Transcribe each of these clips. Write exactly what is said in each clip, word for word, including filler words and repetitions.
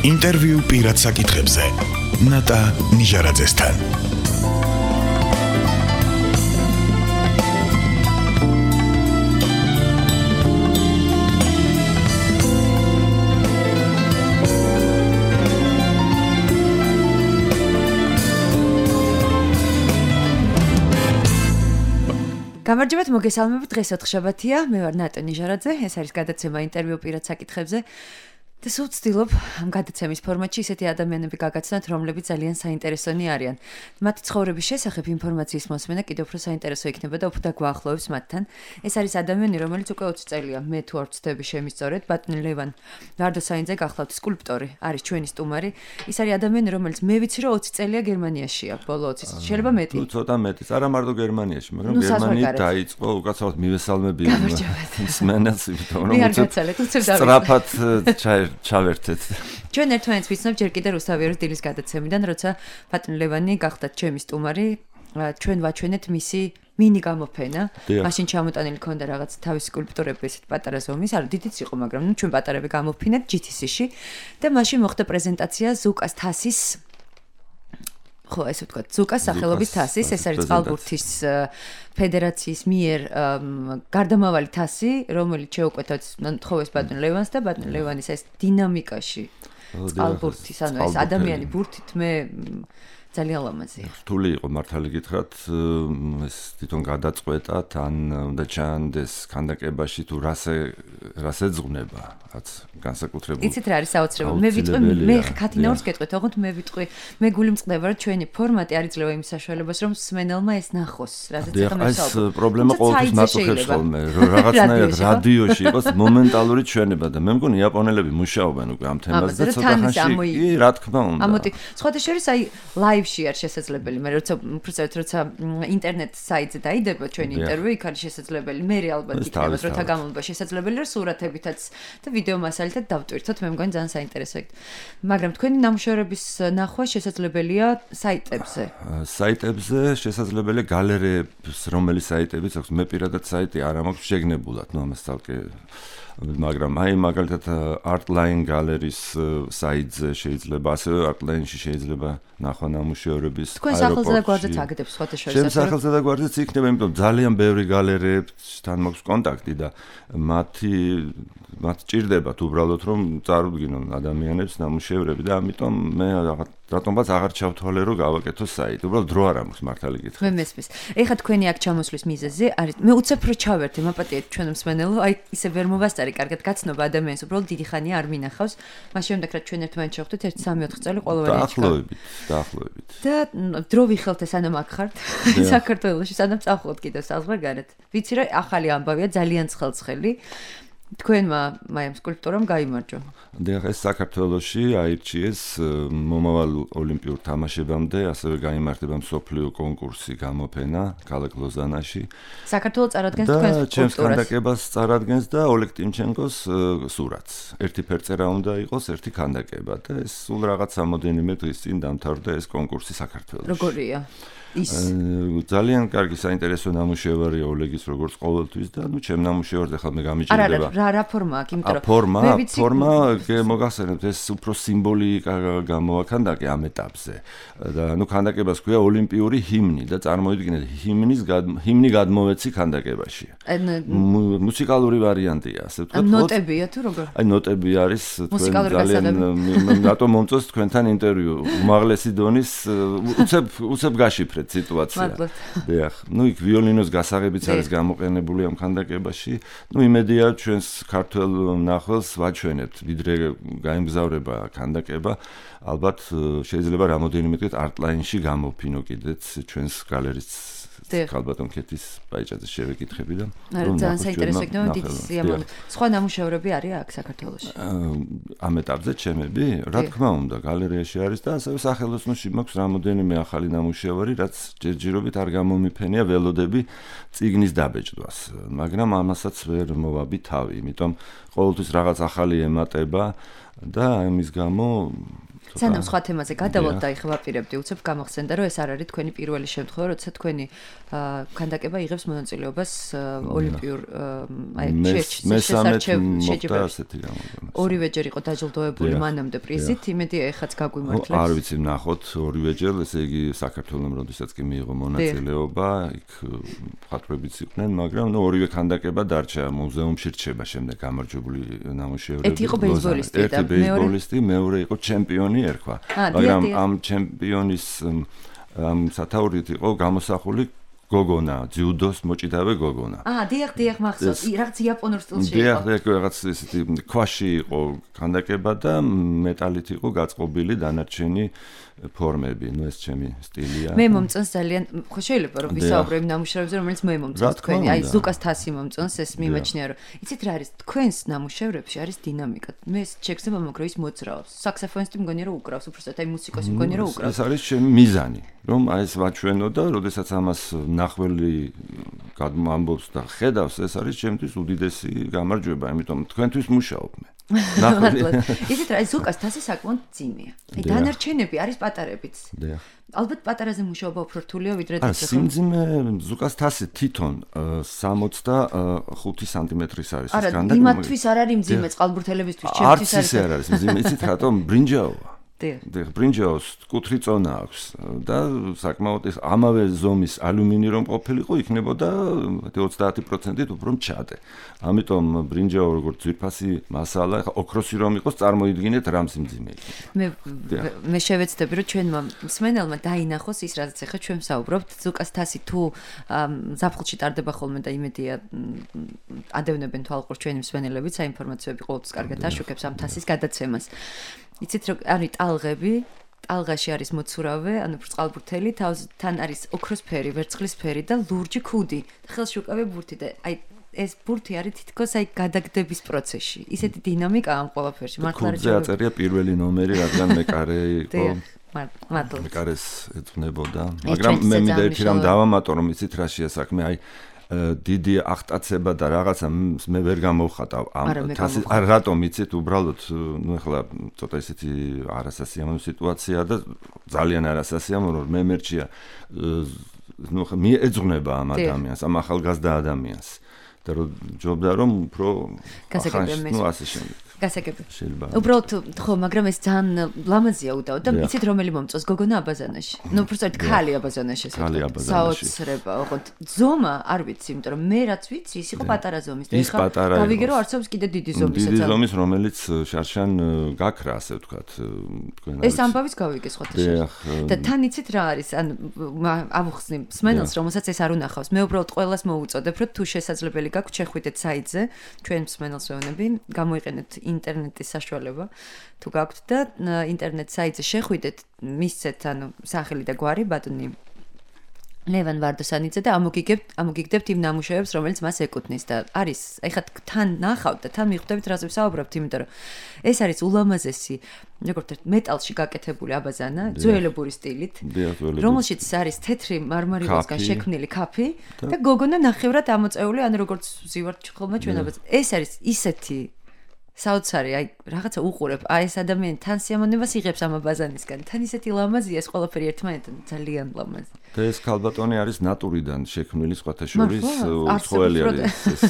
ინტერვიუ პირად საკითხებზე. ნატა ნიჟარაძესთან. გამარჯობათ, მოგესალმებით. დღეს ოთხშაბათია, მე ვარ ნატა ნიჟარაძე, ეს არის გადაცემა ინტერვიუ პირად საკითხებზე. და სულ ვცდილობ ამ გადაცემის ფორმატში ისეთი ადამიანები გაგაცნოთ, რომლებიც ძალიან საინტერესონი არიან. მათი ცხოვრების შესახებ ინფორმაციის მოსმენა კიდევ უფრო საინტერესო იქნება და უფრო დაგვაახლოვებს მათთან. ეს არის ადამიანი, რომელიც უკვე ოცი წელია, მე თუ არ ვცდები შემისწორეთ, ბატონი ლევან ვარდოსაინძე გახლავთ სკულპტორი, არის ჩვენი სტუმარი. ის არის ადამიანი, რომელიც მე ვიცი, რომ ოცი წელია გერმანიაშია, ბოლო ოცი წელი, შეიძლება მეტი. თუ ცოტა მეტიც, არა მარტო გერმანიაში, მაგრამ გერმანიით დაიწყო უკაცრავად მივესალმები მსმენელს, იმიტომ რომ სწრაფად ჩაი ჩავერთეთ. ჩვენ ერთმანეთს ვიცნობ ჯერ კიდევ რუსთავიერის დილის გადაცემიდან, როცა ბატონი ლევანი გახდათ ჩემი სტუმარი, ჩვენ ვაჩვენეთ მისი მინი გამოფენა. მაშინ ჩამოტანილი ქონდა რაღაც თავისი სკულპტურები ესეთ პატარა ზომის, არა დიდიც იყო, მაგრამ ნუ ჩვენ პატარები გამოფინეთ ჯი თი სი-ში და მაშინ მოხდა პრეზენტაცია ზუკას თასის ხო, ესე ვთქვათ, ზუკას სახელობის თასის, ეს არის წყალბურთის ფედერაციის მიერ გარდამავალი თასი, რომელიც შეუკვეთა თხოვეს ბატონ ლევანს და ბატონ ლევანის ეს დინამიკაში წყალბურთის, ანუ ეს ადამიანი ბურთით მე ძალიან ლამაზია. რთული იყო მართალი გითხრათ, ეს თვითონ გადაწყვეტა, თან უნდა ჩანდეს ქანდაკებაში თუ რასე რასე ძღვნება, რაც განსაკუთრებული. იცით რა არის საოცრება? მე ვიტყვი, მე ქათინაურს გეტყვით, ოღონდ მე ვიტყვი, მე გული მწყდება, რომ ჩვენი ფორმატი არ იძლევა იმ საშუალებას, რომ მსმენელმა ეს ნახოს, რაზეც ახლა მე ვსაუბრობ. ეს პრობლემა ყოველთვის მაწუხებს ხოლმე, რომ რაღაცნაირად რადიოში იყოს მომენტალური ჩვენება და მე მგონი იაპონელები მუშაობენ უკვე ამ თემაზე და ცოტა ხანში, კი, რა თქმა უნდა. ამოდი, სხვათა შორის აი ლაივში არ შესაძლებელი, მე როცა უბრალოდ როცა ინტერნეტ საიტზე დაიდება ჩვენი ინტერვიუ, იქ არის შესაძლებელი, მე ალბათ იქნება როცა გამოვა შესაძლებელი, რომ სურათებითაც და ვიდეო მასალითაც დავტვირთოთ, მე მგონი ძალიან საინტერესო იქნება. მაგრამ თქვენი ნამუშევრების ნახვა შესაძლებელია საიტებზე. საიტებზე შესაძლებელია გალერეებს, რომელი საიტებიც აქვს, მე პირადად საიტი არ მაქვს შეგნებულად, ნუ ამას თალკე მაგრამ აი მაგალითად Artline Gallery-ის საიტზე შეიძლება, ასევე Artline-ში შეიძლება ნახვა ნამუშევრების აეროპორტში. თქვენ სახელზე და გვერდზეც აგდებს სხვათა შორის. ჩემ სახელზე და გვერდზეც იქნება, იმიტომ ძალიან ბევრი გალერეებთან მაქვს კონტაქტი და მათი მათ ჭირდებათ უბრალოდ რომ წარუდგინონ ადამიანებს ნამუშევრები და ამიტომ მე რატომაც აღარ ჩავთვალე რომ გავაკეთო საიტი. უბრალოდ დრო არ აქვს მართალი გითხრათ. მე მესმის. ეხლა თქვენი აქ ჩამოსვლის მიზეზი არის მე უცებ რო ჩავერთე, მაპატიეთ ჩვენ მსმენელო, აი ისე ვერ მოვასწარი კარგად გაცნობა ადამიანს, უბრალოდ დიდი ხანია არ მინახავს. მას შემდეგ რა ჩვენ ერთმანეთს შევხვდით ერთი სამი ოთხი წელი ყოველგვარი აჩქა. დაახლოებით, დაახლოებით. და დრო ვიხელთ სანამ აქ ხართ საქართველოში, სანამ წავხვდით კიდევ საზღვარგარეთ. ვიცი რომ ახალი ამბავია, ძალიან ცხელცხელი. თქვენმა მაიმ სკულპტურამ გაიმარჯვა. დიახ, ეს საქართველოში აირჩიეს მომავალ ოლიმპიურ თამაშებამდე, ასევე გაიმართება მსოფლიო კონკურსი გამოფენა ქალაქ ლოზანაში. საქართველოს წარადგენს თქვენს სკულპტურას. ჩემს ქანდაკებას წარადგენს და ოლეგ ტიმჩენკოს სურათს. ერთი ფერწერა უნდა იყოს, ერთი ქანდაკება და ეს სულ რაღაც სამოდენიმე დღის წინ დამთავრდა ეს კონკურსი საქართველოში. როგორია? ის ძალიან კარგი საინტერესო ნამუშევარია ოლეგის როგორც ყოველთვის და ნუ ჩემ ნამუშევარზე ხალ მე გამიჭირდება. არა, რა რა ფორმა აქვს, იმიტომ რომ ფორმა, ფორმა მოგახსენებთ ეს უფრო სიმბოლიკა გამოაქანდაკე ამ ეტაპზე. და ნუ ქანდაკებას ქვია ოლიმპიური ჰიმნი და წარმოიდგინეთ ჰიმნის ჰიმნი გადმოვეცი ქანდაკებაში. მუსიკალური ვარიანტია, ასე ვთქვათ. ნოტებია თუ როგორ? აი ნოტები არის თქვენ ძალიან რატომ მომწონს თქვენთან ინტერვიუ. უმაღლესი დონის უცებ უცებ გაშიფრე სიტუაცია. დიახ, ნუ იქ ვიოლინოს გასაღებიც არის გამოყენებული ამ ქანდაკებაში. ნუ იმედია ჩვენს ქართველ ნახველს ვაჩვენებთ, ვიდრე გაიმგზავრება ქანდაკება, ალბათ შეიძლება რამოდენიმე დღით Artline-ში გამოფინო კიდეც ჩვენს გალერეის ალბათ მკეთის ბაიჭაძე შევეკითხები და ძალიან საინტერესო იქნება დიდი სიამოვნებით. სხვა ნამუშევრები არის აქ საქართველოში? ამ ეტაპზე ჩემები, რა თქმა უნდა, გალერეაში არის და ასევე სახელოსნოში მაქვს რამოდენიმე ახალი ნამუშევარი, რაც ჯერჯერობით არ გამომიფენია ველოდები წიგნის დაბეჭდვას, მაგრამ ამასაც ვერ მოვაბი თავი, იმიტომ ყოველთვის რაღაც ახალი ემატება და ამის გამო სანამ სხვა თემაზე გადავალთ და ეხლა ვაპირებდი უცებ გამახსენდა რომ ეს არ არის თქვენი პირველი შემთხვევა როცა თქვენი ქანდაკება იღებს მონაწილეობას ოლიმპიურ აი შესაჩევ ორივეჯერ იყო დაჯილდოებული მანამდე პრიზით იმედი ეხაც გაგვიმართლებს არ ვიცი ნახოთ ორივეჯერ ესე იგი საქართველოს როდესაც კი მიიღო მონაწილეობა იქ მხატვრებიც იყვნენ მაგრამ ნუ ორივე ქანდაკება დარჩა მუზეუმში რჩება შემდეგ გამარჯვებული ნამუშევრები ერთი იყო ბეისბოლისტი და ბეისბოლისტი მეორე იყო ჩემპიონი ერქვა მაგრამ ამ ჩემპიონის ამ სათაურით იყო გამოსახული გოგონა ძიუდოს მოჭიდავე გოგონა აა დიახ დიახ მახსოვს რაღაც იაპონურ სტილში იყო დიახ დიახ რაღაც ისეთი ქვაში იყო ქანდაკება და მეტალით იყო გაწყობილი დანარჩენი ფორმები ნუ ეს ჩემი სტილია მე მომწონს ძალიან ხო შეიძლება რომ ვისაუბრებ ნამუშევრებზე რომელიც მე მომწონს თქვენი აი ზუკას თასი მომწონს ეს მიმაჩნია რომ იცით რა არის თქვენს ნამუშევრებში არის დინამიკა მე შექცევა მოგროვის მოძრაობს საქსოფონისტი მგონია რომ უკრავს უბრალოდ აი მუსიკოსი მგონია რომ უკრავს ეს არის ჩემი მიზანი რომ აი ეს ვაჩვენო და როდესაც ამას ნახველი გადმოამბობს და ხედავს ეს არის ჩემთვის უდიდესი გამარჯვება იმიტომ თქვენთვის მუშაობ მე ნახველი ისეთ რა ზუკას თასი საკმაოდ ძიმეა აი დანარჩენები არის პატარებიც დიახ ალბათ პატარაზე მუშაობა უფრო რთულია ვიდრე არა სიმძიმე ზუკას თასი თვითონ სამოცდახუთი სანტიმეტრის არის ეს განდა არა იმათთვის არ არის მძიმე წყალბურთელებისთვის ჩემთვის არის არ არის მძიმე იცით რატომ ბრინჯაოა დიახ ბრინჯაოს კუთრი წონა აქვს და საკმაოდ ეს ამავე ზომის ალუმინი რომ ყოფილიყო იქნებოდა ოცდაათი პროცენტით უფრო მჩადე ამიტომ ბრინჯაო როგორც ძვირფასი მასალა ხა ოქროსი რომ იყოს წარმოიდგინეთ რამ სიმძიმე მე მე შევეცდები რომ ჩვენმა მსმენელმა დაინახოს ის რაც ახლა ჩვენ ვსაუბრობთ ზუკას თასი თუ ზაფხულში ტარდება ხოლმე და იმედია ადევნებენ თვალყურს ჩვენი მსმენელებიც აი ინფორმაციები ყოველთვის კარგად აშუქებს ამ თასის გადაცემას იცით რომ არის ტალღები, ტალღაში არის მოცურავე, ანუ წყალბურთელი, თან არის ოქროსფერი, ვერცხლისფერი და ლურჯი ქუდი. ხელში უკავია ბურთი და აი ეს ბურთი არის თითქოს აი გადაგდების პროცესში. ისეთი დინამიკა ამ ყველაფერში. მართლა არის. ხუთზე აწერია პირველი ნომერი, რადგან მეკარე იყო. მართლა. მეკარეს ეძღვნებოდა. მაგრამ მე მინდა ერთი რამ დავამატო, რომ იცით რა შეასაქმე, აი დიდი აღტაცება და რაღაცა მე ვერ გამოვხატავ ამ თასის არ რატომ იცით უბრალოდ ნუ ახლა ცოტა ისეთი არასასიამოვნო სიტუაცია და ძალიან არასასიამოვნო მე მერჩია ნუ მე ეძღვნება ამ ადამიანს ამ ახალგაზრდა ადამიანს და რომ ჯობდა რომ უფრო ნუ ასე შემდეგ გასაგები. უბრალოდ ხო, მაგრამ ეს ძალიან ლამაზია უდაოდ და იცით რომელი მომწონს გოგონა აბაზანაში. ნუ უბრალოდ ქალი აბაზანაში ესე. საოცრება, ოღონდ ზომა არ ვიცი, იმიტომ რომ მე რაც ვიცი, ის იყო პატარა ზომის და ეხლა გავიგე რომ არსებობს კიდე დიდი ზომის. დიდი ზომის, რომელიც შარშან გაქრა, ასე ვთქვათ, თქვენ ეს ამბავიც გავიგე სხვათა. და თან იცით რა არის, ან ამოხსნი მსმენელს, რომელსაც ეს არ უნახავს. მე უბრალოდ ყველას მოუწოდებ, რომ თუ შესაძლებელი გაქვთ, შეხვიდეთ საიტზე, ჩვენ მსმენელს ვეუბნები, გამოიყენეთ ინტერნეტის საშუალება თუ გაქვთ და ინტერნეტ საიტზე შეხვიდეთ მისცეთ ანუ სახელი და გვარი ბატონი ლევან ვარდოსანიძე და ამოგიგებთ ამოგიგდებთ იმ ნამუშევრებს რომელიც მას ეკუთვნის და არის ეხლა თან ნახავთ და თან მიხვდებით რაზე ვსაუბრობთ იმიტომ რომ ეს არის ულამაზესი როგორც მეტალში გაკეთებული აბაზანა ძველებური სტილით რომელშიც არის თეთრი მარმარილოსგან შექმნილი ქაფი და გოგონა ნახევრად ამოწეული ანუ როგორც ვზივართ ხოლმე ჩვენ აბაზანა ეს არის ისეთი საოცარი, აი რაღაცა უყურებ, აი ეს ადამიანი თან სიამოვნებას იღებს ამ აბაზანისგან. თან ისეთი ლამაზია ეს ყველაფერი ერთმანეთთან, ძალიან ლამაზი. და ეს ქალბატონი არის ნატურიდან შექმნილი სხვათა შორის, უცხოელი არის ეს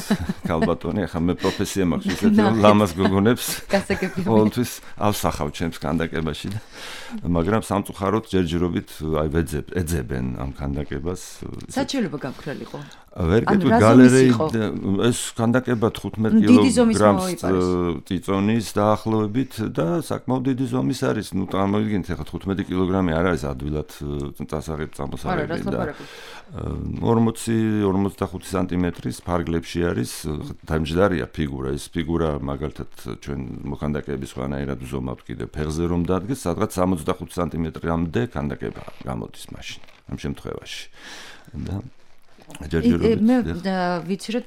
ქალბატონი. ახლა მე პროფესია მაქვს ისეთი ლამაზ გოგონებს. გასაგები. ყოველთვის ავსახავ ჩემს ქანდაკებაში და მაგრამ სამწუხაროდ ჯერჯერობით აი ვეძებ, ეძებენ ამ ქანდაკებას. საჩივრება გამქრალიყო. ვერ გეტყვი გალერეი ეს ქანდაკება თხუთმეტ კილოგრამს წიწონის დაახლოებით და საკმაოდ დიდი ზომის არის. ნუ წარმოიდგინეთ ახლა თხუთმეტი კილოგრამი არ არის ადვილად წასაღებ წამოსაღები და ორმოცი ორმოცდახუთი სანტიმეტრის ფარგლებში არის დამჯდარია ფიგურა. ეს ფიგურა მაგალითად ჩვენ მოქანდაკეების სხვანაირად ვზომავთ კიდე ფეხზე რომ დადგეს, სადღაც სამოცდახუთი სანტიმეტრამდე ქანდაკება გამოდის მაშინ ამ შემთხვევაში. და მე ვიცი რომ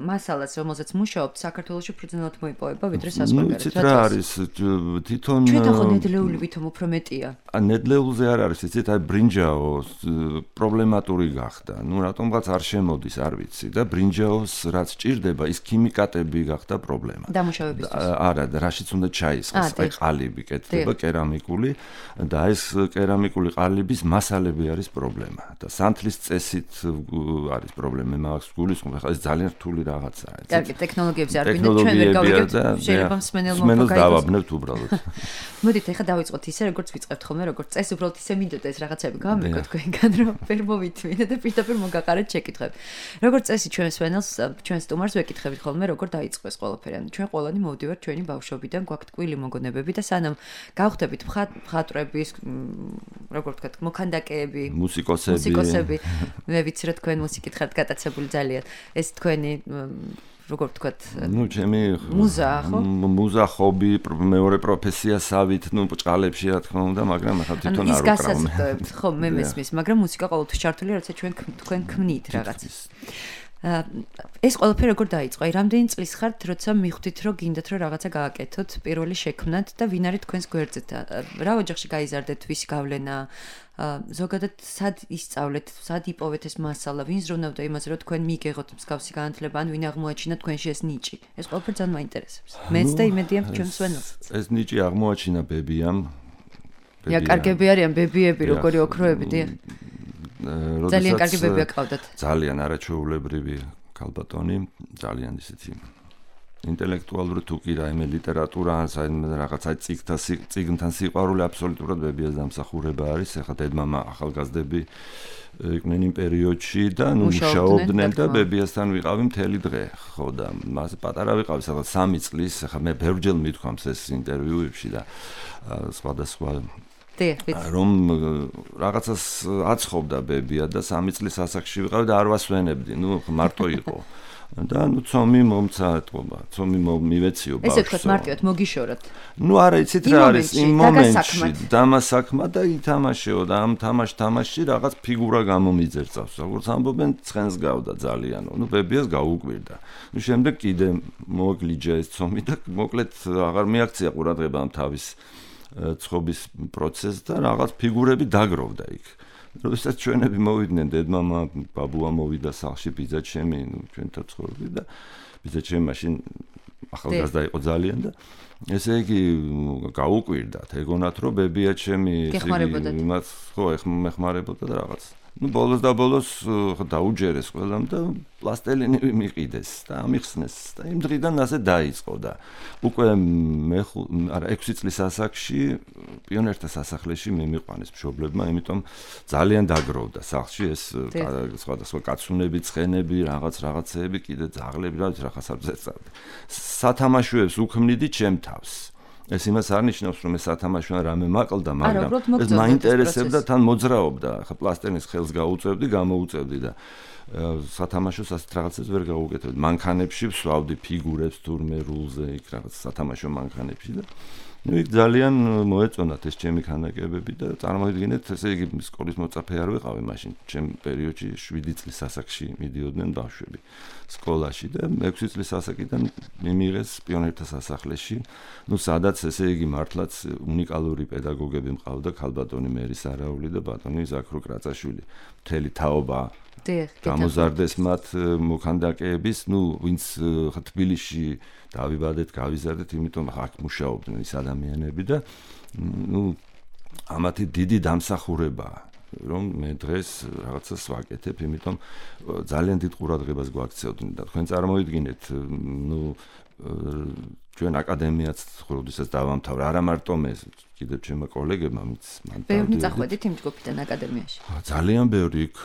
მასალას რომელზეც მუშაობთ საქართველოში ფუძნელად მოიპოვება ვიდრე საზღვარგარეთ. ნუ ცით რა არის თვითონ ჩვენ ხო ნედლეული ვითომ უფრო მეტია. ან ნედლეულზე არ არის იცით აი ბრინჯაო პრობლემატური გახდა. ნუ რატომღაც არ შემოდის არ ვიცი და ბრინჯაოს რაც ჭირდება ის ქიმიკატები გახდა პრობლემა. დამუშავებისთვის. არა და რაშიც უნდა ჩაისხოს აი ყალიბი კეთდება კერამიკული და ეს კერამიკული ყალიბის მასალები არის პრობლემა და სანთლის წესით არის პრობლემა მაგას გულისხმობ ხა ეს ძალიან რთული რაღაცაა. კარგი ტექნოლოგიებზე არ გვინდა ჩვენ ვერ გავიგებთ შეიძლება მსმენელმა მსმენელს დავაბნევთ უბრალოდ. მოდით ეხა დავიწყოთ ისე როგორც ვიწყებთ ხოლმე როგორც წეს უბრალოდ ისე მინდოდა ეს რაღაცები გამიგოთ თქვენგან რომ ვერ მოვითმინე და პირდაპირ მოგაყარეთ შეკითხვები. როგორც წესი ჩვენ მსმენელს ჩვენ სტუმარს ვეკითხებით ხოლმე როგორ დაიწყო ეს ყველაფერი. ანუ ჩვენ ყველანი მოვდივართ ჩვენი ბავშვობიდან გვაქვს ტკბილი მოგონებები და სანამ გავხდებით მხატვრების როგორ ვთქვათ მოქანდაკეები მუსიკოსები მუსიკოსები მე ვიცი რომ თქვენ მუსიკით ხართ გატაცებული ძალიან ეს თქვენი როგორ ვთქვათ ნუ ჩემი მუზა ხო მუზა ხობი მეორე პროფესიასავით ნუ ბჭყალებში რა თქმა უნდა მაგრამ ახლა თვითონ არ უკრავმე ხო მე მესმის მაგრამ მუსიკა ყოველთვის ჩართულია როცა ჩვენ თქვენ ქმნით რაღაცას ეს ყველაფერი როგორ დაიწყო? აი რამდენი წლის ხართ, როცა მიხვდით, რომ გინდათ რომ რაღაცა გააკეთოთ, პირველი შექმნათ და ვინ არის თქვენს გვერდზე? რა ოჯახში გაიზარდეთ, ვის გავლენა? ზოგადად სად ისწავლეთ, სად იპოვეთ ეს მასალა, ვინ ზრუნავდა იმაზე, რომ თქვენ მიიგეგოთ მსგავსი განათლება, ან ვინ აღმოაჩინა თქვენში ეს ნიჭი? ეს ყველაფერი ძალიან მაინტერესებს. მეც და იმედია ჩვენ მსმენელსაც. ეს ნიჭი აღმოაჩინა ბებიამ. ბებია კარგები არიან ბებიები, როგორი ოქროები, დიახ. ძალიან კარგი ბებია ყავდათ. ძალიან არაჩვეულებრივი ქალბატონი, ძალიან ისეთი ინტელექტუალური თუ კი რაიმე ლიტერატურა, რაღაცა ციგთა ციგნთან სიყვარული აბსოლუტურად ბებიას დამსახურება არის. ეხლა დედმამა ახალგაზრდები იყვნენ იმ პერიოდში და ნუ მუშაობდნენ და ბებიასთან ვიყავი მთელი დღე. ხო და მას პატარა ვიყავი, სადღაც სამი წლის, ეხლა მე ბევრჯერ მithქვამს ეს ინტერვიუებში და სხვადასხვა რომ რაღაცას აცხობდა ბებია და სამი წლის ასაკში ვიყავი და არ ვასვენებდი, ნუ მარტო იყო. და ნუ ცომი მომცა ეთყობა, ცომი მივეციო ბავშვს. ესე თქვა მარტივად მოგიშოროთ. ნუ არა, იცით რა არის იმ მომენტში, დამასაქმად და ითამაშეო და ამ თამაშ თამაშში რაღაც ფიგურა გამომიძერწავს. როგორც ამბობენ, ცხენს გავდა ძალიანო. ნუ ბებიას გაუკვირდა. ნუ შემდეგ კიდე მოგვლიჯა ეს ცომი და მოკლედ აღარ მიაქცია ყურადღება ამ თავის ცხობის პროცესს და რაღაც ფიგურები დაგროვდა იქ. როდესაც ჩვენები მოვიდნენ, დედმამა, ბაბუა მოვიდა სახლში, ბიძაჩემი, ნუ ჩვენთან ცხოვრობდი და ბიძაჩემი მაშინ ახალგაზრდა იყო ძალიან და ესე იგი გაუკვირდათ, ეგონათ რომ ბებიაჩემი იმას ხო ეხმარებოდა და რაღაც. ნუ ბოლოს და ბოლოს დაუჯერეს ყველამ და პლასტელინი მიყიდეს და ამიხსნეს და იმ დღიდან ასე დაიწყო და უკვე მე არა ექვსი წლის ასაკში პიონერთა სასახლეში მე მიყვანეს მშობლებმა, იმიტომ ძალიან დაგროვდა სახლში ეს სხვადასხვა კაცუნები, ცხენები, რაღაც რაღაცეები, კიდე ძაღლები, რა ვიცი რა ხასარზე. სათამაშოებს უქმნიდი ჩემ თავს. ეს იმას არ ნიშნავს, რომ ეს სათამაშოა რამე მაყლდა, მაგრამ ეს მაინტერესებდა, თან მოძრაობდა. ხა პლასტენის ხელს გაუწევდი, გამოუწევდი და სათამაშოს ასეთ რაღაცებს ვერ გაუკეთებდი. მანქანებში ვსვავდი ფიგურებს თურმე რულზე, იქ რაღაც სათამაშო მანქანებში და ნუ იქ ძალიან მოეწონათ ეს ჩემი ქანდაკებები და წარმოიდგინეთ, ესე იგი სკოლის მოწაფე არ ვიყავი მაშინ, ჩემ პერიოდში შვიდი წლის ასაკში მიდიოდნენ ბავშვები სკოლაში და ექვსი წლის ასაკიდან მიმიღეს პიონერთა სასახლეში, ნუ სადაც ესე იგი მართლაც უნიკალური პედაგოგები მყავდა, ქალბატონი მერი სარაული და ბატონი ზაქრო კრაწაშვილი. მთელი თაობა გამოზარდეს მათ მოქანდაკეების, ნუ ვინც თბილისში დავიბადეთ, გავიზარდეთ, იმიტომ აქ მუშაობდნენ ის ადამიანები და ნუ ამათი დიდი დამსახურებაა, რომ მე დღეს რაღაცას ვაკეთებ, იმიტომ ძალიან დიდ ყურადღებას გვაქცევდნენ და თქვენ წარმოიდგინეთ, ნუ ჩვენ აკადემიაც როდესაც დავამთავრე, არა მარტო მე, კიდევ ჩემო კოლეგებმა მის მან ბევრი წახვედით იმ ჯგუფიდან აკადემიაში. ძალიან ბევრი იქ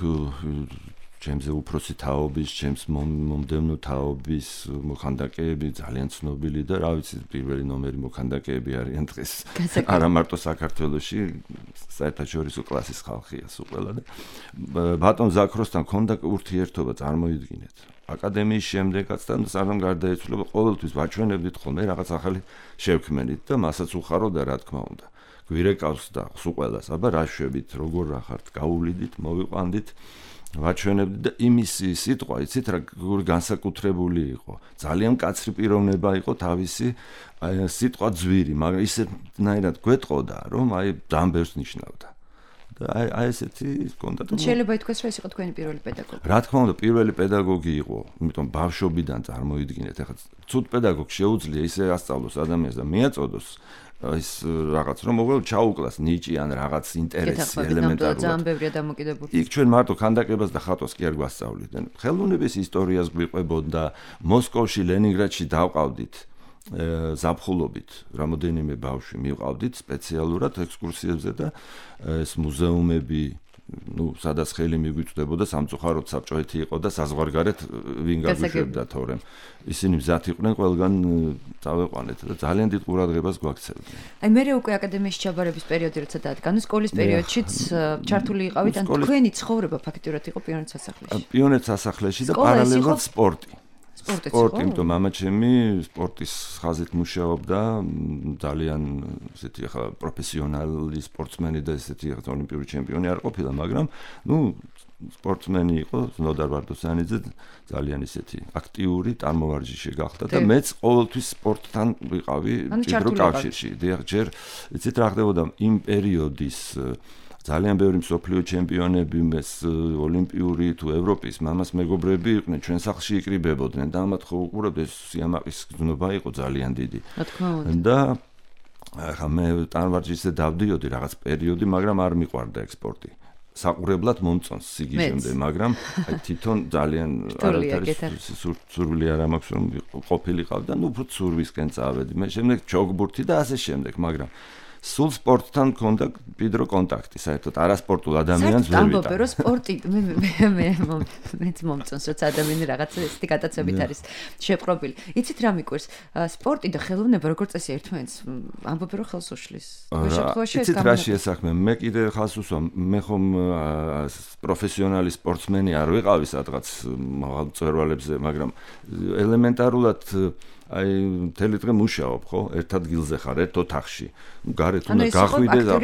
ჩემზე უფროსი თაობის, ჩემს მომდევნო თაობის მოქანდაკეები ძალიან ცნობილი და რა ვიცი, პირველი ნომერი მოქანდაკეები არიან დღეს. არა მარტო საქართველოში, საერთაშორისო კლასის ხალხია სულ ყველა და ბატონ ზაქროსთან ქონდა ურთიერთობა, წარმოიდგინეთ. აკადემიის შემდეგაც და სანამ გარდაეცვალა, ყოველთვის ვაჩვენებდით ხოლმე რაღაც ახალი შევქმენით და მასაც უხაროდა რა თქმა უნდა. გვირეკავს და სულ ყველას, აბა რა შვებით, როგორ რა ხართ, გაუვლიდით, მოვიყვანდით. ვაჩვენებდი და იმისი სიტყვა, იცით რა განსაკუთრებული იყო. ძალიან მკაცრი პიროვნება იყო თავისი სიტყვა ძვირი, მაგრამ ისეთნაირად გვეტყოდა, რომ აი ძალიან ბევრს ნიშნავდა. და აი აი ესეთი კონდა. შეიძლება ითქვას, რომ ეს იყო თქვენი პირველი პედაგოგი. რა თქმა უნდა, პირველი პედაგოგი იყო, იმიტომ ბავშვობიდან წარმოიდგინეთ, ეხლა ცუდ პედაგოგს შეუძლია ისე ასწავლოს ადამიანს და მიაწოდოს ის რაღაც რომ მოგვალ ჩაუკლას ნიჭი ან რაღაც ინტერესი ელემენტარულად. ძალიან ბევრია დამოკიდებული. იქ ჩვენ მარტო ქანდაკებას და ხატვას კი არ გვასწავლიდან. ხელოვნების ისტორიას გვიყვებოდა, მოსკოვში, ლენინგრადში დავყავდით ზაფხულობით, რამოდენიმე ბავშვი მივყავდით სპეციალურად ექსკურსიებზე და ეს მუზეუმები, ну, სადაც ხელი მიგვიწვდებოდა სამწუხაროდ საბჭოეთი იყო და საზღვარგარეთ ვინ გაგვიშვებდა თორემ. ისინი მზად იყვნენ ყველგან წავეყვანეთ და ძალიან დიდ ყურადღებას გვაქცევდნენ. აი მე უკვე აკადემიაში ჩაბარების პერიოდი როცა დადგა, სკოლის პერიოდშიც ჩართული იყავით, ან თქვენი ცხოვრება ფაქტიურად იყო პიონერთა სასახლეში. პიონერთა სასახლეში და პარალელურად სპორტი. სპორტი, იმიტომ მამა ჩემი სპორტის ხაზით მუშაობდა, ძალიან ესეთი ახლა პროფესიონალი სპორტსმენი და ესეთი ახლა ოლიმპიური ჩემპიონი არ ყოფილა, მაგრამ ნუ სპორტსმენი იყო, ნოდარ ვარდოსანიძე, ძალიან ისეთი აქტიური, წარმოვარჯიშე გახდა და მეც ყოველთვის სპორტთან ვიყავი ჭიდრო კავშირში. დიახ, ჯერ იცით რა ხდებოდა იმ პერიოდის ძალიან ბევრი მსოფლიო ჩემპიონები, მეს ოლიმპიური თუ ევროპის მამას მეგობრები იყვნენ, ჩვენ სახლში იკრიბებოდნენ და ამათ ხო უყურებთ ეს სიამაყის გზნობა იყო ძალიან დიდი. რა თქმა უნდა. და ახლა მე ტანვარჯიშზე დავდიოდი რაღაც პერიოდი, მაგრამ არ მიყვარდა ექსპორტი. საყურებლად მომწონს სიგიჟემდე, მაგრამ აი თვითონ ძალიან არათარის სურვილი არ მაქვს რომ ყოფილიყავ და ნუ უფრო ცურვისკენ წავედი. მე შემდეგ ჯოგბურთი და ასე შემდეგ, მაგრამ სულ სპორტთან მქონდა მჭიდრო კონტაქტი, საერთოდ არასპორტულ ადამიანს ვერ ვიტან. ამბობ, რომ სპორტი მე მე მე მეც მომწონს, როცა ადამიანი რაღაც ესეთი გადაცებით არის შეპყრობილი. იცით რა მიკვირს? სპორტი და ხელოვნება როგორც წესი ერთმანეთს ამბობ, რომ ხელს უშლის. იცით რა შეესახმე? მე კიდე ხალხს უსვამ, მე ხომ პროფესიონალი სპორტსმენი არ ვიყავი სადღაც მწვერვალებზე, მაგრამ ელემენტარულად აი მთელი დღე მუშაობ, ხო? ერთ ადგილზე ხარ, ერთ ოთახში. გარეთ უნდა გახვიდე და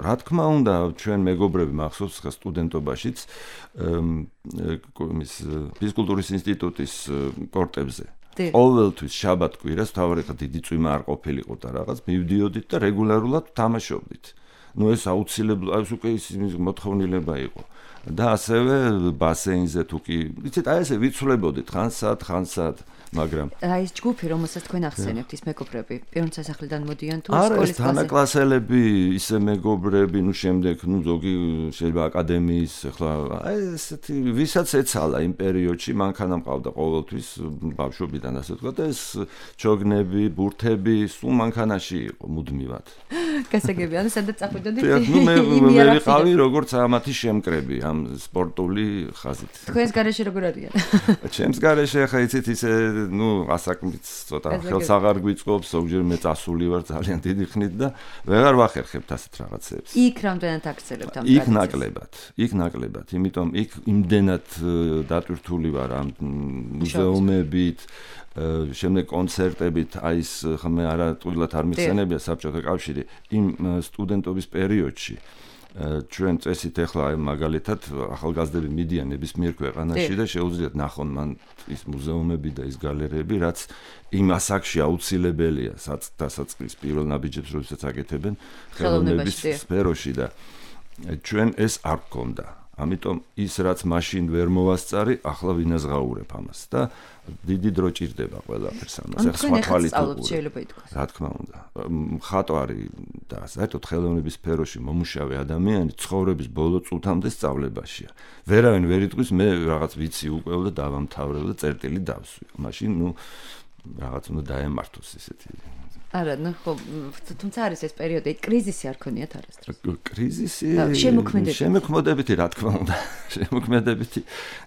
რა თქმა უნდა, ჩვენ მეგობრები მახსოვს ხა სტუდენტობაშიც იმის ფიზკულტურის ინსტიტუტის კორტებზე. ყოველთვის შაბათ-კვირას თავი ხა დიდი წვიმა არ ყოფილიყო და რაღაც მივდიოდით და რეგულარულად თამაშობდით. ნუ ეს აუცილებლად, ეს უკვე ის მოთხოვნილება იყო. და ასევე ბასეინზე თუ კი, იცით, აი ესე ვიცვლებოდით ხანსად, ხანსად, მაგრამ აი ეს ჯგუფი, რომელსაც თქვენ ახსენებთ, ის მეგობრები, პიონერთა სასახლიდან მოდიან თუ სკოლის ბაზე? არა, თანაკლასელები, ისე მეგობრები, ნუ შემდეგ, ნუ ზოგი შეიძლება აკადემიის, ახლა აი ესეთი, ვისაც ეცალა იმ პერიოდში, მანქანა მყავდა ყოველთვის ბავშვობიდან, ასე ვთქვათ, და ეს ჩოგნები, ბურთები, სულ მანქანაში იყო მუდმივად. გასაგები, ანუ სადაც წახვიდოდით? ნუ მე მე ვიყავი როგორც ამათი შემკრები ამ სპორტული ხაზით. თქვენს გარეშე როგორ არიან? ჩემს გარეშე ახლა იცით ისე ნუ ასაკმიც ცოტა ხელს აღარ გვიწყობს, ზოგჯერ მე წასული ვარ ძალიან დიდი ხნით და ვეღარ ვახერხებთ ასეთ რაღაცებს. იქ რამდენად აქცელებთ ამ ტრადიციას? იქ ნაკლებად, იქ ნაკლებად, იმიტომ იქ იმდენად დატვირთული ვარ ამ მუზეუმებით, შემდეგ კონცერტებით, აი ეს ხმე არა ტყუილად არ მიხსენებია საბჭოთა კავშირი იმ სტუდენტობის პერიოდში. ჩვენ წესით ახლა მაგალითად ახალგაზრდები მიდიან ნებისმიერ ქვეყანაში და შეუძლიათ ნახონ მან ის მუზეუმები და ის გალერეები, რაც იმ ასაკში აუცილებელია დასაწყის პირველ ნაბიჯებს როდესაც აკეთებენ ხელოვნების სფეროში და ჩვენ ეს არ გქონდა. ამიტომ ის რაც მაშინ ვერ მოვასწარი, ახლა ვინაზღაურებ ამას და დიდი დრო ჭირდება ყველაფერს ამას. ახლა სხვა თვალით შეიძლება ითქვას. რა თქმა უნდა. მხატვარი და საერთოდ ხელოვნების სფეროში მომუშავე ადამიანი ცხოვრების ბოლო წუთამდე სწავლებაშია. ვერავინ ვერ იტყვის მე რაღაც ვიცი უკვე და დავამთავრებ და წერტილი დავსვი. მაშინ ნუ რაღაც უნდა დაემართოს ესეთი. არა, ნუ ხო, თუმცა არის ეს პერიოდი, კრიზისი არ ქონიათ არასდროს. კრიზისი? შემოქმედებითი. შემოქმედებითი, რა თქმა უნდა. შემოქმედებითი.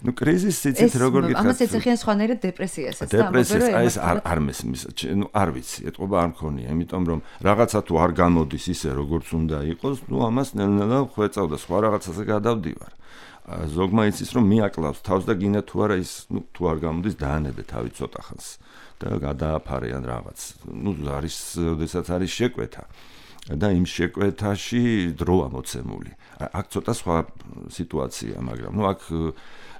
ნუ კრიზისი იცით როგორ გითხარით? ამას ეძახიან სხვანაირად დეპრესიასაც და ამბობენ რომ ეს არ არ მესმის, ნუ არ ვიცი, ეთყობა არ მქონია, იმიტომ რომ რაღაცა თუ არ გამოდის ისე როგორც უნდა იყოს, ნუ ამას ნელ-ნელა ხვეწავ და სხვა რაღაცაზე გადავდივარ. ზოგმა იცის რომ მიაკლავს თავს და გინდა თუ არა ის, ნუ თუ არ გამოდის დაანებე თავი ცოტა ხანს. და გადააფარიან რაღაც. ნუ არის, როდესაც არის შეკვეთა. და იმ შეკვეთაში დროა მოცემული. აქ ცოტა სხვა სიტუაცია, მაგრამ ნუ აქ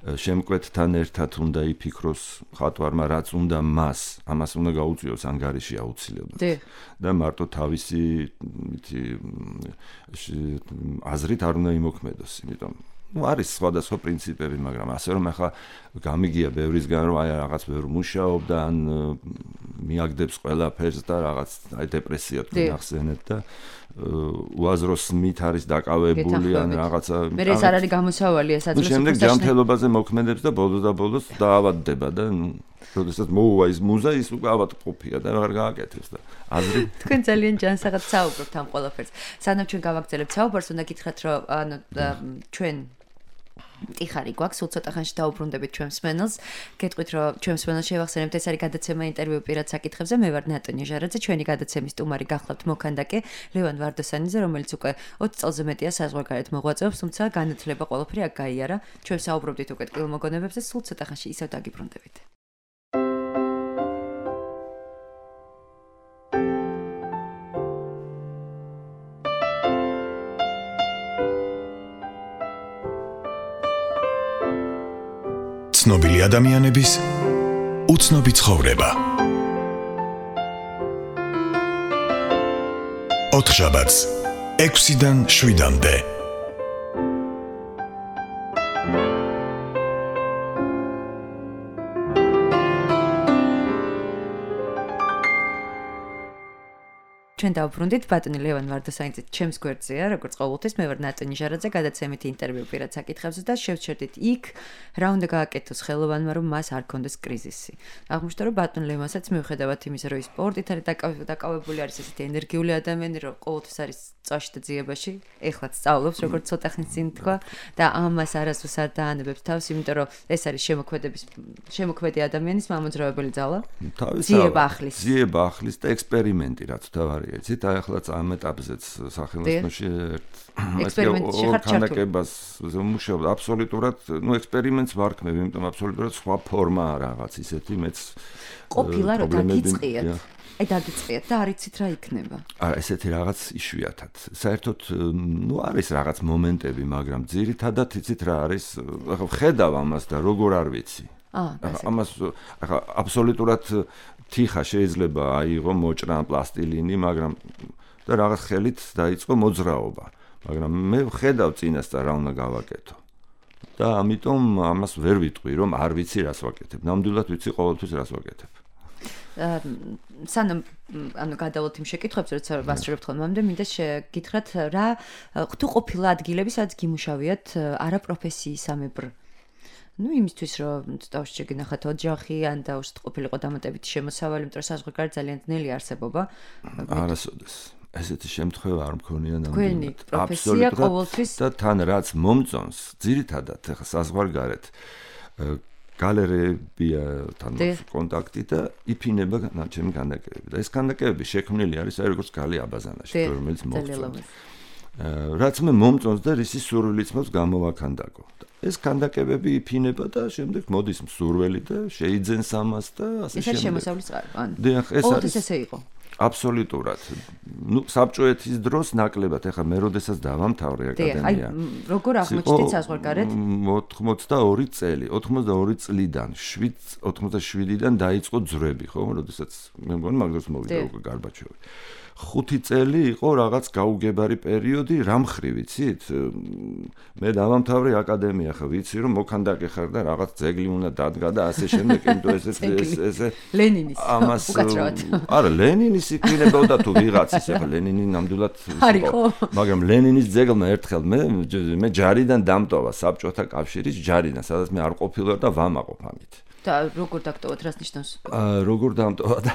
შემკვეთთან ერთად უნდა იფიქროს მხატვარმა რაც უნდა მას, ამას უნდა გაუწიოს ანგარიში აუცილებლად. და მარტო თავისი აზრით არ უნდა იმოქმედოს, იმიტომ ну არის სხვადასხვა პრინციპები, მაგრამ ასე რომ ახლა გამიგია ბევრისგან რომ აი რაღაც ბევრ მუშაობდა ან მიაგდებს ყველაფერს და რაღაც აი დეპრესია თუ ნახსენეთ და უაზროს მით არის დაკავებული ან რაღაცა მე ეს არ არის გამოსავალი ეს აძლევს შემდეგ ჯანმრთელობაზე მოქმედებს და ბოლოს და ბოლოს დაავადდება და როდესაც მოუვა ის მუზა ის უკვე ავადმყოფია და აღარ გააკეთებს და აზრი თქვენ ძალიან ჯანსაღად საუბრობთ ამ ყველაფერს სანამ ჩვენ გავაგრძელებთ საუბარს უნდა გითხრათ რომ ანუ ჩვენ ტიხარი გვაქვს, სულ ცოტა ხანში დაუბრუნდებით ჩვენ მსმენელს. გეტყვით რომ ჩვენ მსმენელს შევახსენებთ ეს არის გადაცემა ინტერვიუ პირად საკითხებზე. მე ვარ ნატო ნიჟარაძე, ჩვენი გადაცემის სტუმარი გახლავთ მოქანდაკე ლევან ვარდოსანიძე, რომელიც უკვე ოცი წელზე მეტია საზღვარგარეთ მოღვაწეობს, თუმცა განათლება ყველაფერი აქ გაიარა. ჩვენ საუბრობდით უკვე ტკბილ მოგონებებზე, სულ ცოტა ხანში ისევ დაგიბრუნდებით. ცნობილი ადამიანების უცნობი ცხოვრება. ოთხშაბათს ექვსიდან შვიდამდე. ჩვენ დავბრუნდით ბატონი ლევან ვარდოსანიძე ჩემს გვერდზეა როგორც ყოველთვის მე ვარ ნატო ნიჟარაძე გადაცემით ინტერვიუ პირად საკითხებზე და შევჩერდით იქ რა უნდა გააკეთოს ხელოვანმა რომ მას არ კონდეს კრიზისი აღმოჩნდა რომ ბატონ ლევანსაც მიუხედავად იმისა რომ ის სპორტით არის დაკავებული არის ესეთი ენერგიული ადამიანი რომ ყოველთვის არის წაში და ძიებაში ეხლაც სწავლობს როგორც ცოტა ხნის წინ თქვა და ამას არასდროს არ დაანებებს თავს იმიტომ რომ ეს არის შემოქმედების შემოქმედი ადამიანის მამოძრავებელი ძალა ძიება ახლის ძიება ახლის და ექსპერიმენტი რაც თავარია იცით აი ახლა ამ ეტაპზეც სახელმწიფოში ექსპერიმენტში ხარ ჩართული მუშაობ აბსოლუტურად ნუ ექსპერიმენტს ვარქმევ იმიტომ აბსოლუტურად სხვა ფორმა რაღაც ისეთი მეც ყოფილა რომ დაგიწყიათ აი დაგიწყიათ და არ იცით რა იქნება არა ესეთი რაღაც იშვიათად საერთოდ ნუ არის რაღაც მომენტები მაგრამ ძირითადად იცით რა არის ახლა ვხედავ ამას და როგორ არ ვიცი ამას ახლა აბსოლუტურად თიხა შეიძლება აიღო მოჭრა პლასტილინი, მაგრამ და რაღაც ხელით დაიწყო მოძრაობა. მაგრამ მე ვხედავ წინასწარ რა უნდა გავაკეთო. და ამიტომ ამას ვერ ვიტყვი, რომ არ ვიცი რას ვაკეთებ. ნამდვილად ვიცი ყოველთვის რას ვაკეთებ. სანამ ანუ გადავალთ იმ შეკითხვებს, როცა ვასწრებთ ხოლმე, მინდა შეგითხრათ რა თუ ყოფილა ადგილები, სადაც გიმუშავიათ არაპროფესიისამებრ ну იმისთვის რომ თავში შეგინახათ ოჯახი ან დაუშვით ყოფილიყო დამატებითი შემოსავალი, იმიტომ რომ საზღვარგარეთ ძალიან ძნელი არსებობა. არასოდეს. ესეთი შემთხვევა არ მქონია ნამდვილად. თქვენი პროფესია ყოველთვის და თან რაც მომწონს, ძირითადად ახლა საზღვარგარეთ გალერეებთან კონტაქტი და იფინება ჩემი ქანდაკებები. და ეს ქანდაკებები შექმნილი არის აი როგორც გალი აბაზანაში, რომელიც მომწონს. რაც მე მომწონს და რისი სურვილიც მაქვს გამოვაქანდაკო. ეს ქანდაკებები იფინება და შემდეგ მოდის მსურველი და შეიძენს ამას და ასე შემდეგ. ეს შემოსავლის წყარო, ან. დიახ, ეს არის. ეს ესე იყო. აბსოლუტურად. ნუ საბჭოეთის დროს ნაკლებად, ეხლა მე როდესაც დავამთავრე აკადემია. აი, როგორ აღმოჩნდით საზღვარგარეთ? ოცდაორი წელი, ოცდაორი წლიდან, ოცდაშვიდიდან დაიწყო ძვრები, ხო, როდესაც მე მგონი მაგდროს მოვიდა უკვე გარბაჩოვი. ხუთი წელი იყო რაღაც გაუგებარი პერიოდი, რა მხრივ იცით? მე დავამთავრე აკადემია, ხა ვიცი რომ მოქანდაკე ხარ და რაღაც ძეგლი უნდა დადგა და ასე შემდეგ, იმიტომ ეს ესე ლენინის ამას არა, ლენინის იქნებოდა თუ ვიღაცის, ახლა ლენინი ნამდვილად იყო, მაგრამ ლენინის ძეგლმა ერთხელ მე მე ჯარიდან დამტოვა საბჭოთა კავშირის ჯარიდან, სადაც მე არ ყოფილვარ და ვამაყობ ამით. და როგორ დაგტოვოთ, რას ნიშნავს? აა როგორ დამტოვა და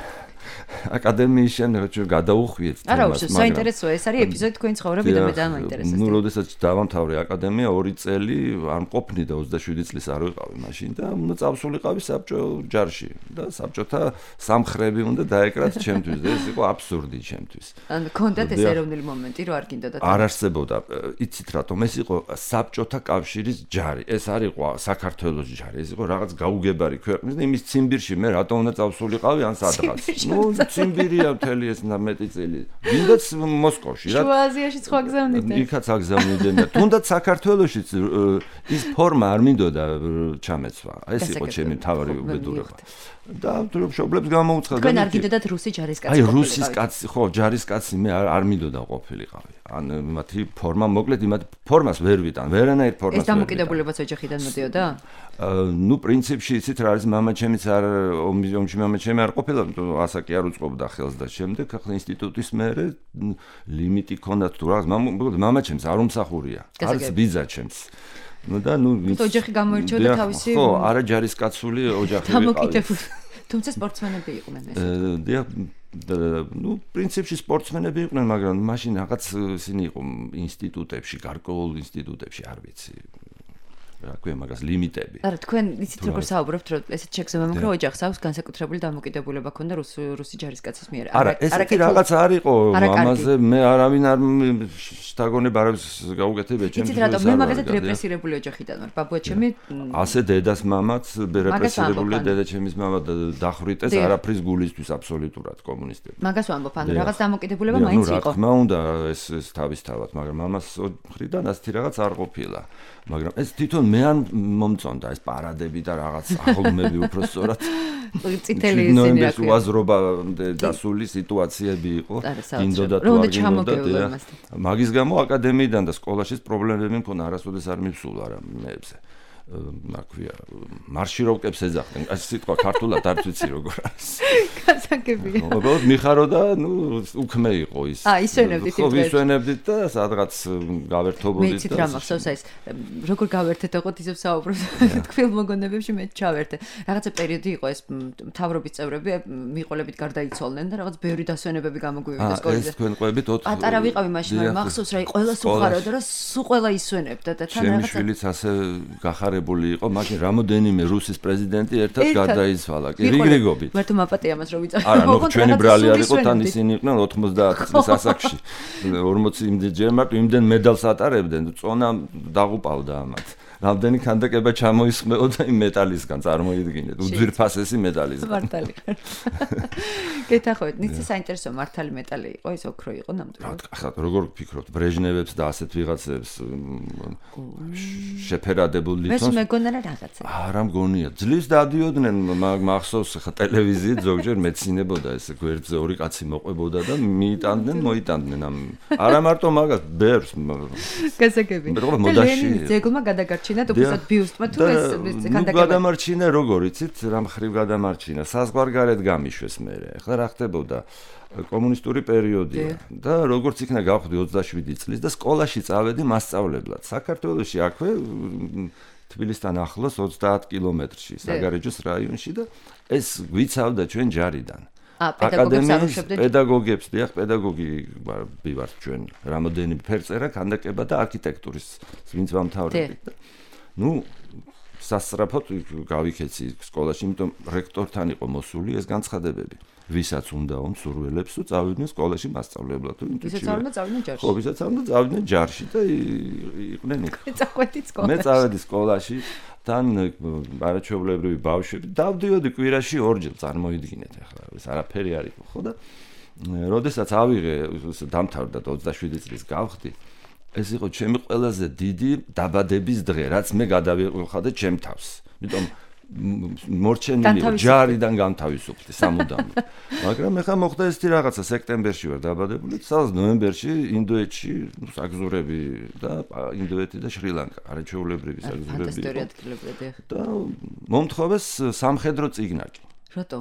აკადემიის შენობა ჩვენ გადაუხვიეთ თემას. არა, უშო, საინტერესოა, ეს არის ეპიზოდი თქვენი ცხოვრები და მე დამაინტერესებს. ნუ როდესაც დავამთავრე აკადემია, ორი წელი არ მყოფნი და ოცდაშვიდი წლის არ ვიყავი მაშინ და უნდა წავსულიყავი საბჭო ჯარში და საბჭოთა სამხრები უნდა დაეკრათ ჩემთვის და ეს იყო აბსურდი ჩემთვის. ანუ კონდათ ეს ეროვნული მომენტი, რომ არ გინდოდა. არ არსებობდა, იცით რატომ ეს იყო საბჭოთა კავშირის ჯარი. ეს არ იყო საქართველოს ჯარი, ეს იყო რაღაც გაუგებარი ქვეყნის და იმის ციმბირში მე რატომ უნდა წავსულიყავი ან სადღაც. ნუ ციმბირია მთელი ეს მეტი წელი. ვინდაც მოსკოვში რა. შუა აზიაში სხვა გზავნიდნენ. იქაც აგზავნიდნენ და თუნდაც საქართველოშიც ის ფორმა არ მინდოდა ჩამეცვა. ეს იყო ჩემი თავარი უბედურება. და მშობლებს გამოუცხადა. თქვენ არ გიდოდათ რუსი ჯარისკაცი. აი რუსის კაცი, ხო, ჯარისკაცი მე არ არ მინდოდა ყოფილიყავი. ან მათი ფორმა მოკლედ იმათ ფორმას ვერ ვიტან, ვერანაირ ფორმას ვერ ვიტან. ეს დამოკიდებულებაც ოჯახიდან მოდიოდა? ნუ პრინციპში იცით რა არის, მამაჩემიც არ ომში მამაჩემი არ ყოფილა, ასაკი არ უწყობდა ხელს და შემდეგ ახლა ინსტიტუტის მერე ლიმიტი ქონდათ თუ რაღაც, მამაჩემს არ უმსახურია. არც ბიძაჩემს. ნუ და ნუ ოჯახი გამოირჩეოდა თავისი. ხო, არა ჯარისკაცული ოჯახი ვიყავი. დამოკიდებული. თუმცა სპორტსმენები იყვნენ ეს. დიახ, ნუ პრინციპში სპორტსმენები იყვნენ, მაგრამ მაშინ რაღაც ისინი იყო ინსტიტუტებში, გარკვეულ ინსტიტუტებში, არ ვიცი. რა ქვია მაგას ლიმიტები. არა, თქვენ იცით როგორ საუბრობთ, რომ ესეთ შეგზავნა მაგრამ ოჯახს აქვს განსაკუთრებული დამოკიდებულება ქონდა რუსი რუსი ჯარისკაცის მიერ. არა, ესეთი რაღაც არ იყო, ამაზე მე არავინ არ შთაგონება არავის გაუკეთებია ჩემს. იცით რატომ მე მაგაზე რეპრესირებული ოჯახიდან ვარ. ბაბუაჩემი ასე დედას მამაც რეპრესირებული, დედაჩემის მამა დახვრიტეს არაფრის გულისთვის აბსოლუტურად კომუნისტები. მაგას ვამბობ, ანუ რაღაც დამოკიდებულება მაინც იყო. რა თქმა უნდა, ეს ეს თავისთავად, მაგრამ მამას მხრიდან ასეთი რაღაც არ ყოფილა. მაგრამ ეს თვითონ მე ან მომწონდა ეს პარადები და რაღაც აღლუმები უფრო სწორად წითელი ისინი რა ქვია უაზრობა დასული სიტუაციები იყო გინდოდა თუ არ გინდოდა მაგის გამო აკადემიიდან და სკოლაშიც პრობლემები მქონდა არასოდეს არ მივსულა რა მეებზე რა ქვია მარშიროვკებს ეძახდნენ ეს სიტყვა ქართულად არ ვიცი როგორ არის გასაგებია უბრალოდ მიხარო და ნუ უქმე იყო ის აა ისვენებდით ხო ვისვენებდით და სადღაც გავერთობოდით და მეცით რა მახსოვს ეს როგორ გავერთეთ ოღონდ ისევ საუბრობთ თქვილ მოგონებებში მე ჩავერთე რაღაცა პერიოდი იყო ეს მთავრობის წევრები მიყოლებით გარდაიცვალნენ და რაღაც ბევრი დასვენებები გამოგვივიდა სკოლაზე ეს თქვენ ყვებით ოთხ პატარა ვიყავი მაშინ მაგრამ მახსოვს რა ყველა სუხარო და რა სულ ყველა ისვენებდა და თან რაღაცა შვილიც ასე გახარებული იყო მაშინ რამოდენიმე რუსის პრეზიდენტი ერთად გარდაიცვალა კი რიგრიგობით მარტო მაპატია მას რომ ვიწარ არა ნუ ჩვენი ბრალი არ იყო თან ისინი იყვნენ ოთხმოცდაათი წლის ასაკში ორმოცი იმდენ მარტო იმდენ მედალს ატარებდნენ წონა დაღუპავდა ამათ რამდენი ქანდაკება ჩამოისხმეო და იმ მეტალისგან წარმოიდგინეთ უძვირფასესი მეტალისგან მართალი გეთახოთ ნიცი საინტერესო მართალი მეტალი იყო ის ოქრო იყო ნამდვილად ახლა როგორ ვფიქრობთ ბრეჟნევებს და ასეთ ვიღაცებს შეფერადებულ ლითონს მე მეგონა რა რაღაცა არა მგონია ძლივს დადიოდნენ მახსოვს ხა ტელევიზიით ზოგჯერ მეცინებოდა ესე გვერდზე ორი კაცი მოყვებოდა და მიიტანდნენ მოიტანდნენ ამ არა მარტო მაგას ბერს გასაგები ლენინის ძეგლმა გადაგარჩინა და უბრალოდ ბიუსტმა თუ ეს ქანდაკება. ნუ გადამარჩინა როგორ იცით, რა მხრივ გადამარჩინა, საზღვარგარეთ გამიშვეს მერე. ახლა რა ხდებოდა? კომუნისტური პერიოდია და როგორც იქნა გავხდი ოცდაშვიდი წლის და სკოლაში წავედი მასწავლებლად. საქართველოში აქვე თბილისთან ახლოს ოცდაათ კილომეტრში, საგარეჯოს რაიონში და ეს გვიცავდა ჩვენ ჯარიდან. აკადემიის პედაგოგებს, დიახ, პედაგოგი ვართ ჩვენ. რამოდენიმე ფერწერა, ქანდაკება და არქიტექტურის ვინც ვამთავრებთ. ნუ სასწრაფოდ გავიქეცი სკოლაში, იმიტომ რექტორთან იყო მოსული ეს განცხადებები. ვისაც უნდა უმსურველებს თუ წავიდნენ სკოლაში მასწავლებლად თუ ინტუიტივად. ვისაც არ უნდა წავიდნენ ჯარში. ხო, ვისაც არ უნდა წავიდნენ ჯარში და იყვნენ იქ. მე წავედი სკოლაში. მე წავედი სკოლაში. თან არაჩვეულებრივი ბავშვები დავდიოდი კვირაში ორჯერ წარმოიდგინეთ ახლა ეს არაფერი არ იყო ხო და როდესაც ავიღე დამთავრდა ოცდაშვიდი წლის გავხდი ეს იყო ჩემი ყველაზე დიდი დაბადების დღე რაც მე გადავიხადე ჩემ თავს იმიტომ მორჩენილი ჯარიდან განთავისუფლდი სამუდამოდ მაგრამ ეხლა მოხდა ესეთი რაღაცა სექტემბერში ვარ დაბადებული სადაც ნოემბერში ინდოეთში საგზურები და ინდოეთი და შრი-ლანკა არაჩვეულებრივი საგზურები და მომთხოვეს სამხედრო წიგნაკი რატო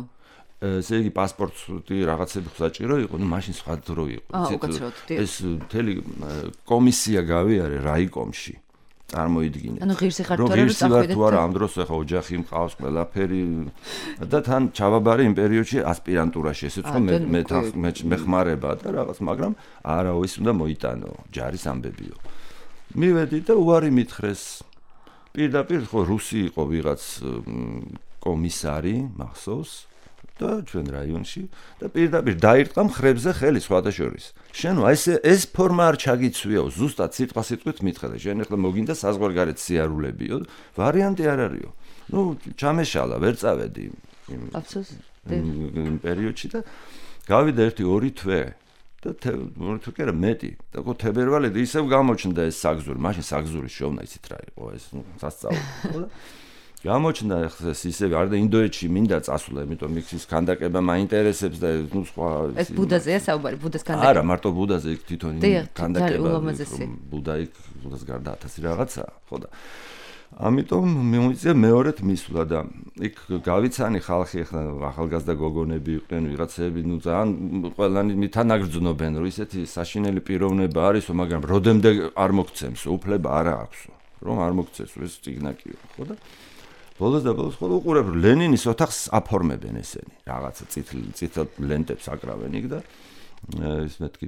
ესე იგი პასპორტი რაღაცები საჭირო იყო ნუ მაშინ სხვა დრო იყო ეს მთელი კომისია გავიარე რაიკომში წარმოიდგინეთ. ანუ ღირსი ხარ თუ არა რომ წახვიდეთ. თუ არა ამ დროს ახლა ოჯახი მყავს ყველაფერი და თან ჩავაბარე იმ პერიოდში ასპირანტურაში ესეც ხო მე მე მეხმარება და რაღაც მაგრამ არაო ის უნდა მოიტანო ჯარის ამბებიო. მივედი და უარი მითხრეს. პირდაპირ ხო რუსი იყო ვიღაც კომისარი მახსოვს და ჩვენ რაიონში და პირდაპირ დაირტყა მხრებზე ხელი სხვადასხვის. შენო ეს ეს ფორმა არ ჩაგიცვიაო, ზუსტად სიტყვა სიტყვით მითხრა. შენ ახლა მოგინდა საზღვარგარეთ სიარულებიო, ვარიანტი არ არისო. ნუ ჩამეშალა, ვერ წავედი. აფსოს. იმ პერიოდში და გავიდა ერთი ორი თვე და ორი თვე კი არა მეტი და ხო თებერვალები ისევ გამოჩნდა ეს საგზური, მაშინ საგზურის შოვნა იცით რა იყო ეს სასწაული ხო და გამოჩნდა ეს ისევ არ და ინდოეთში მინდა წასულა, იმიტომ მიქის ქანდაკება მაინტერესებს და ნუ სხვა ეს ბუდაზეა საუბარი, ბუდეს ქანდაკება. არა, მარტო ბუდაზე იქ თვითონ ქანდაკება. ბუდა იქ ბუდას გარდა ათასი რაღაცა, ხო და ამიტომ მიმოიწია მეორედ მისვლა და იქ გავიცანი ხალხი ახლა ახალგაზრდა გოგონები იყვნენ, ვიღაცები, ნუ ძალიან ყველანი მითანაგრძნობენ, რომ ისეთი საშინელი პიროვნება არისო, მაგრამ როდემდე არ მოგცემს, უფლება არა აქვსო, რომ არ მოგცემს ეს ციგნაკიო, ხო და ბოლოს და ბოლოს ხოლმე უყურებ ლენინის ოთახს აფორმებენ ესენი რაღაცა წითელ წითელ ლენტებს აკრავენ იქ და ის მეთქი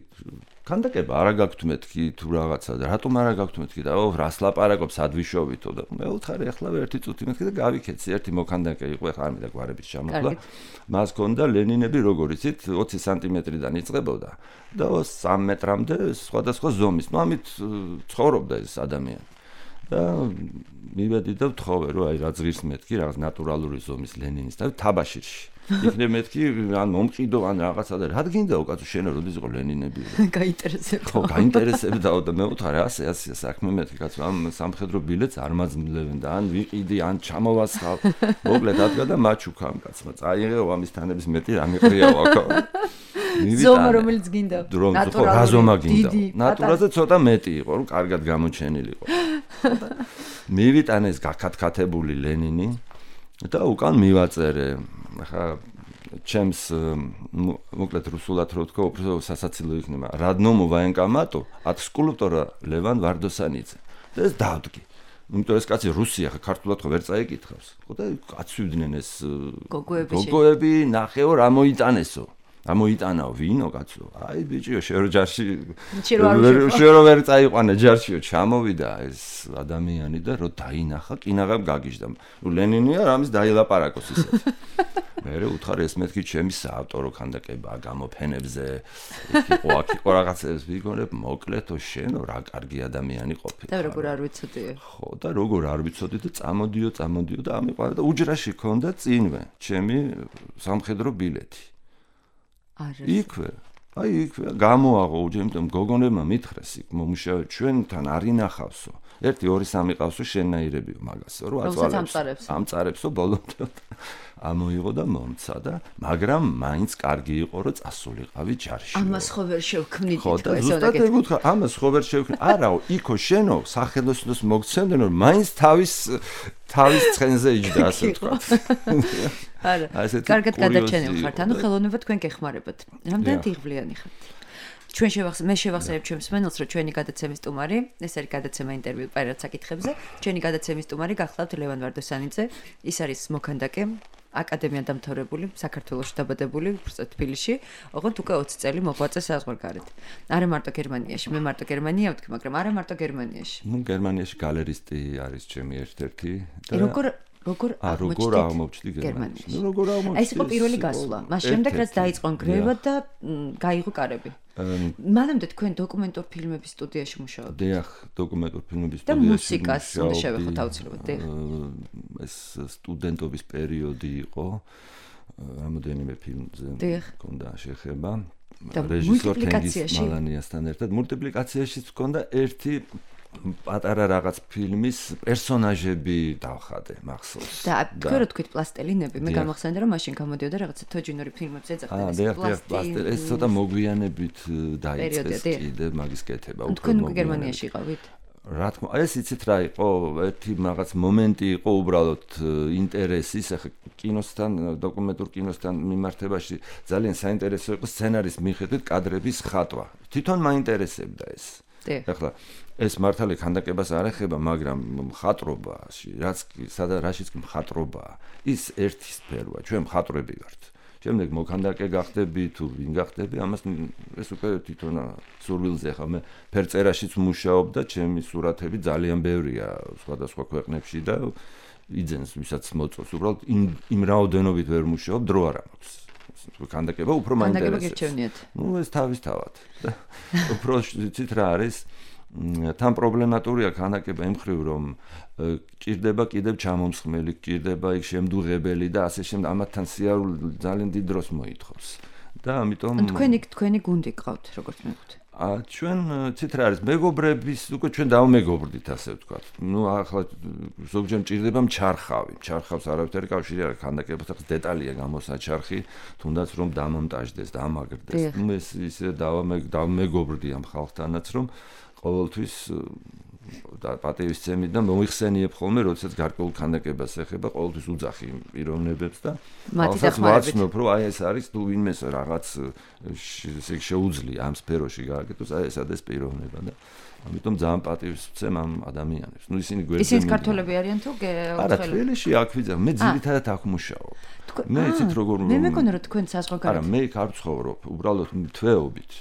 ქანდაკება არა გაქვთ მეთქი თუ რაღაცა და რატომ არა გაქვთ მეთქი და ო რას ლაპარაკობს ადვიშოვითო და მე ვთხარი ახლა ერთი წუთი მეთქი და გავიქეცი ერთი მოქანდაკე იყო ახლა არ მინდა გვარების ჩამოხლა მას ჰქონდა ლენინები როგორ იცით ოცი სანტიმეტრიდან იწყებოდა და სამი მეტრამდე სხვადასხვა ზომის ნუ ამით ცხოვრობდა ეს ადამიანი და მივედი და ვთხოვე რომ აი რა ზღირს მეთქი რაღაც ნატურალური ზომის ლენინის და თაბაშირში იქნებ მეთქი ან მომყიდო ან რაღაცა და რა გინდაო კაცო შენ როდის იყო ლენინები გაინტერესებდა ხო გაინტერესებდა და მე ვთქარი ასე ასე საქმე მეთქი კაცო ამ სამხედრო ბილეთს არ მაძლევენ და ან ვიყიდი ან ჩამოვასხავ მოკლედ ადგა და მაჩუქამ კაცმა წაიღეო ამის თანების მეტი რა მიყრიაო აქ ზომა რომელიც გინდა ნატურალური რა ზომა გინდა ნატურაზე ცოტა მეტი იყო რომ კარგად გამოჩენილიყო მივიტანე ეს გაქათქათებული ლენინი და უკან მივაწერე ახლა ჩემს მოკლედ რუსულად რო ვთქვა უფრო სასაცილო იქნება რადნომ ვაენკამატო ათ სკულპტორა ლევან ვარდოსანიძე და ეს დავდგი იმიტომ ეს კაცი რუსია ხა ქართულად ხო ვერ წაიკითხავს ხო და აცვიდნენ ეს გოგოები ნახეო რა მოიტანესო ამოიტანაო ვინო კაცო აი ბიჭიო შენ ჯარში შენ რო ვერ წაიყვანე ჯარშიო ჩამოვიდა ეს ადამიანი და რო დაინახა კინაღამ გაგიჟდა ნუ ლენინია რამის დაილაპარაკოს ისეთ მე უთხარი ეს მეთქი ჩემი საავტორო ქანდაკებაა გამოფენებზე იქ იყო აქ იყო რაღაცებს ვიგონებ მოკლედო შენო რა კარგი ადამიანი ყოფილი და როგორ არ ვიცოდი ხო და როგორ არ ვიცოდი და წამოდიო წამოდიო და ამიყვანა და უჯრაში ქონდა წინვე ჩემი სამხედრო ბილეთი იქვე აი იქვე გამოაღო უჯემ გოგონებმა მითხრეს იქ მომუშავე ჩვენთან არ ინახავსო ერთი ორი სამი ყავსო შენაირებიო მაგასო რომ აწვალებს ამწარებსო ბოლომდე ამოიღო და მომცა და მაგრამ მაინც კარგი იყო რომ წასულიყავი ჯარში ამას ხო ვერ შევქმნით ხო და ზუსტად ეგ უთხრა ამას ხო ვერ შევქმნით არაო იქო შენო სახელოსნოს მოგცემდნენ რომ მაინც თავის თავის ცხენზე იჯდა ასე თქვა არა კარგად გადაჩენილ ხართ ანუ ხელოვნება თქვენ გეხმარებათ რამდენად იღბლიანი ხართ ჩვენ შევახსენებ მე შევახსენებ ჩემს მენელს რომ ჩვენი გადაცემის სტუმარი ეს არის გადაცემა ინტერვიუ პაერად საკითხებზე ჩვენი გადაცემის სტუმარი გახლავთ ლევან ვარდოსანიძე ის არის მოქანდაკე აკადემია დამთავრებული საქართველოში დაბადებული თბილისში ოღონდ უკვე ოცი წელი მოღვაწე საზღვარგარეთ არა მარტო გერმანიაში მე მარტო გერმანია ვთქვი მაგრამ არა მარტო გერმანიაში ნუ გერმანიაში გალერისტი არის ჩემი ერთ-ერთი და როგორ როგორ როგორ აღმოჩნდი გერმანიაში ნუ როგორ აღმოჩნდი ეს იყო პირველი გასვლა მას შემდეგ რაც დაიწყო ნგრევა და გაიღო კარები მანამდე თქვენ დოკუმენტურ ფილმების სტუდიაში მუშაობთ დიახ დოკუმენტურ ფილმების სტუდიაში და მუსიკას უნდა შევეხოთ აუცილებლად დიახ ეს სტუდენტობის პერიოდი იყო რამოდენიმე ფილმზე მქონდა შეხება რეჟისორ თენგიზ მალანიასთან ერთად მულტიპლიკაციაშიც მქონდა ერთი პატარა რაღაც ფილმის პერსონაჟები დავხადე მახსოვს და თქვენ რო თქვით პლასტელინები მე გამახსენდა რომ მაშინ გამოდიოდა რაღაცა თოჯინური ფილმებზე ეძახდნენ ეს პლასტელი ეს ცოტა მოგვიანებით დაიწყეს კიდე მაგის კეთება უფრო თქვენ უკვე გერმანიაში იყავით რა თქმა უნდა ეს იცით რა იყო ერთი რაღაც მომენტი იყო უბრალოდ ინტერესის ახლა კინოსთან დოკუმენტურ კინოსთან მიმართებაში ძალიან საინტერესო იყო სცენარის მიხედვით კადრების ხატვა თვითონ მაინტერესებდა ეს ახლა ეს მართალი ქანდაკებას არ ეხება, მაგრამ მხატვრობაში, რაც სადა რაშიც მხატვრობაა, ის ერთი სფეროა, ჩვენ მხატვრები ვართ. შემდეგ მოქანდაკე გახდები თუ ვინ გახდები, ამას ეს უკვე თვითონ სურვილზე ხა მე ფერწერაშიც მუშაობ და ჩემი სურათები ძალიან ბევრია სხვადასხვა ქვეყნებში და იძენს ვისაც მოწონს, უბრალოდ იმ რაოდენობით ვერ მუშაობ, დრო არ აქვს. ქანდაკება უფრო მაინტერესებს. ქანდაკება გირჩევნიათ. ნუ ეს თავისთავად. უფრო ცით რა არის თან პრობლემატურია ქანდაკება იმ ხრივ, რომ ჭირდება კიდევ ჩამომსხმელი, ჭირდება იქ შემდუღებელი და ასე შემდეგ, ამათთან სიარული ძალიან დიდ დროს მოითხოვს. და ამიტომ თქვენი თქვენი გუნდი გყავთ, როგორც მეგობთ. ა ჩვენ ცით რა არის, მეგობრების უკვე ჩვენ დავმეგობრდით, ასე ვთქვათ. ნუ ახლა ზოგჯერ მჭირდება მჩარხავი. მჩარხავს არავითარი კავშირი არ აქვს ქანდაკებასთან, დეტალია გამოსაჩარხი, თუნდაც რომ დამონტაჟდეს, დამაგრდეს. ნუ ეს ისე დავმეგობრდი ამ ხალხთანაც, რომ ყოველთვის და პატივისცემით და მოიხსენიებ ხოლმე, როდესაც გარკვეულ ქანდაკებას ეხება, ყოველთვის უძახი პიროვნებებს და მათი ვაცნობ, რომ აი ეს არის თუ ვინმეს რაღაც ესე შეუძლია ამ სფეროში გააკეთოს, აი ეს არის პიროვნება და ამიტომ ძალიან პატივისცემ ამ ადამიანებს. ნუ ისინი გვერდზე ისინი ქართველები არიან თუ გეოცხელი? არა, თბილისში აქ ვიძახ, მე ძირითადად აქ მუშაობ. მე იცით როგორ მე მეკონა რომ თქვენ საზღვარგარეთ. არა, მე იქ არ ვცხოვრობ, უბრალოდ თვეობით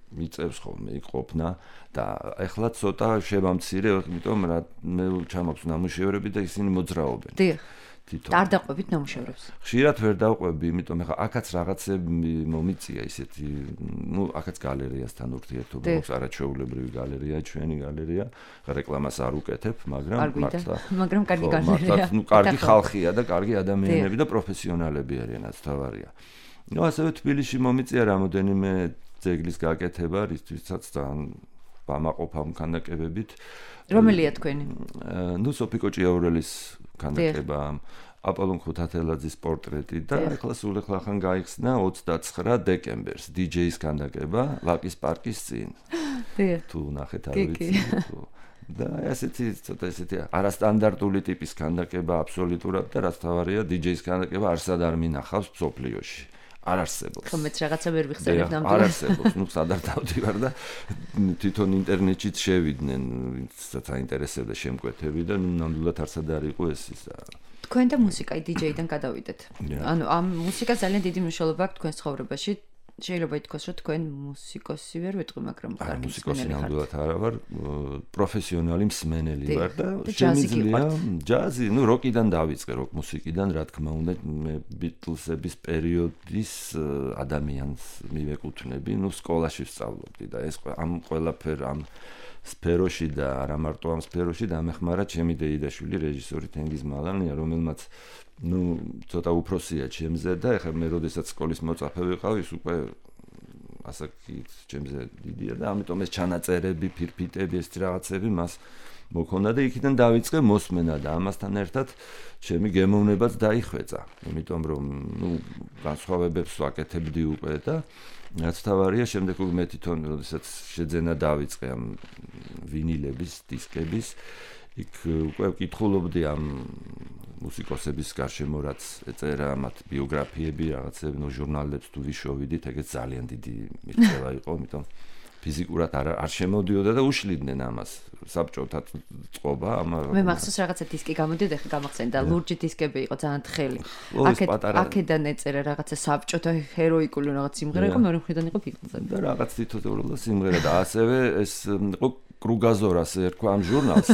მიწევს ხოლმე იქ ყოფნა და ეხლა ცოტა შევამცირე, იმიტომ რა მე ჩამოქვს ნამუშევრები და ისინი მოძრაობენ. დიახ. თვითონ. არ დაყვებით ნამუშევრებს. ხშირად ვერ დავყვები, იმიტომ ეხლა აქაც რაღაცები მომიწია ისეთი, ნუ აქაც გალერეასთან ურთიერთობა აქვს, არაჩვეულებრივი გალერეა, ჩვენი გალერეა, რეკლამას არ უკეთებ, მაგრამ მართლა, მაგრამ კარგი გალერეა. ნუ კარგი ხალხია და კარგი ადამიანები და პროფესიონალები არიან, რაც თავარია. ნუ ასევე თბილისში მომიწია რამოდენიმე ძეგლის გაკეთება, რისთვისაც ძალიან ვამაყობ ამ ქანდაკებებით. რომელია თქვენი? ნუ სოფიკო ჭიაურელის ქანდაკება, აპოლონ ხუთათელაძის პორტრეტი და ახლა სულ ახლა გაიხსნა ოცდაცხრა დეკემბერს დი ჯეის ქანდაკება ლაკის პარკის წინ. თუ ნახეთ არ ვიცი თუ და ესეთი ცოტა ესეთი არასტანდარტული ტიპის ქანდაკება აბსოლუტურად და რაც თავარია დი ჯეის ქანდაკება არსად არ მინახავს მსოფლიოში. არ არსებობს. ხომ მეც რაღაცა ვერ ვიხსენებ ნამდვილად. არ არსებობს. ნუ სადარ დავდივარ და თვითონ ინტერნეტშიც შევიდნენ, ვინცაც აინტერესებდა შემკვეთები და ნამდვილად არსად არ იყო ეს ის. თქვენ და მუსიკა დი ჯეიდან გადავიდეთ. ანუ ამ მუსიკას ძალიან დიდი მნიშვნელობა აქვს თქვენს ცხოვრებაში. შეიძლება ითქვას, რომ თქვენ მუსიკოსი ვერ ვიტყვი, მაგრამ კარგი მუსიკოსი ნამდვილად არა ვარ, პროფესიონალი მსმენელი ვარ და შემიძლია ჯაზი, ნუ როკიდან დავიწყე, როკ მუსიკიდან, რა თქმა უნდა, მე ბიტლსების პერიოდის ადამიანს მივეკუთვნები, ნუ სკოლაში ვსწავლობდი და ეს ამ ყველაფერ ამ სფეროში და არა მარტო ამ სფეროში დამეხმარა ჩემი დეიდაშვილი რეჟისორი თენგიზ მალანია, რომელმაც ნუ ცოტა უფროსია ჩემზე და ეხლა მე როდესაც სკოლის მოწაფე ვიყავ, ის უკვე ასაკით ჩემზე დიდია და ამიტომ ეს ჩანაწერები, ფირფიტები, ეს რაღაცები მას მოქონდა და იქიდან დავიწყე მოსმენა და ამასთან ერთად ჩემი გემოვნებაც დაიხვეწა, იმიტომ რომ ნუ განსხვავებებს ვაკეთებდი უკვე და რაც თავარია, შემდეგ უკვე მე თვითონ როდესაც შეძენა დავიწყე ამ ვინილების, დისკების, იქ უკვე ვკითხულობდი ამ მუსიკოსების გარშემო რაც ეწერა მათ ბიოგრაფიები, რაღაცები, ნუ ჟურნალებს თუ ვიშოვიდით, ეგეც ძალიან დიდი მიღწევა იყო, იმიტომ ფიზიკურად არ არ შემოდიოდა და უშლიდნენ ამას საბჭოთა წყობა ამ მე მახსოვს რაღაცა დისკი გამოდიოდა, ხა გამახსენდა და ლურჯი დისკები იყო ძალიან თხელი. აქეთ აქედან ეწერა რაღაცა საბჭოთა ჰეროიკული რაღაც სიმღერა იყო, მეორე მხრიდან იყო ბიტლზები. და რაღაც თითოეული სიმღერა და ასევე ეს იყო კრუგაზორას ერქვა ამ ჟურნალს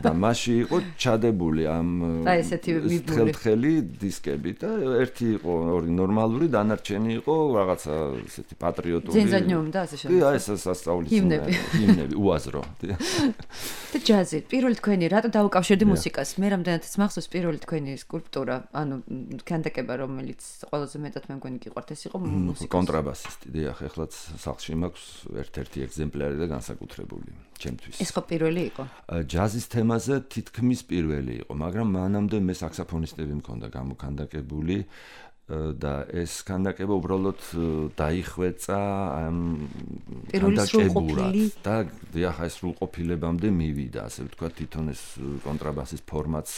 და მასში იყო ჩადებული ამ თხელი დისკები და ერთი იყო ორი ნორმალური, დანარჩენი იყო რაღაცა ესეთი პატრიოტული. ძენზადნიუმ და ასე შემდეგ. და ეს სასწაულის სიმღერები, ჰიმნები, უაზრო. და ჯაზი, პირველი თქვენი რატო დაუკავშირდი მუსიკას? მე რამდენადაც მახსოვს პირველი თქვენი სკულპტურა, ანუ ქანდაკება, რომელიც ყველაზე მეტად მე მგონი გიყვართ, ეს იყო მუსიკოსი. კონტრაბასისტი, დიახ, ეხლაც სახლში მაქვს ერთ-ერთი ეგზემპლარი და განსაკუთრებული. ჩემთვის. ეს ხო პირველი იყო? ჯაზის თემაზე თითქმის პირველი იყო, მაგრამ მანამდე მე საქსაფონისტები მქონდა გამოქანდაკებული და ეს ქანდაკება უბრალოდ დაიხვეწა ამ ქანდაკებურად და დიახ, ეს სრულყოფილებამდე მივიდა, ასე ვთქვათ, თვითონ ეს კონტრაბასის ფორმაც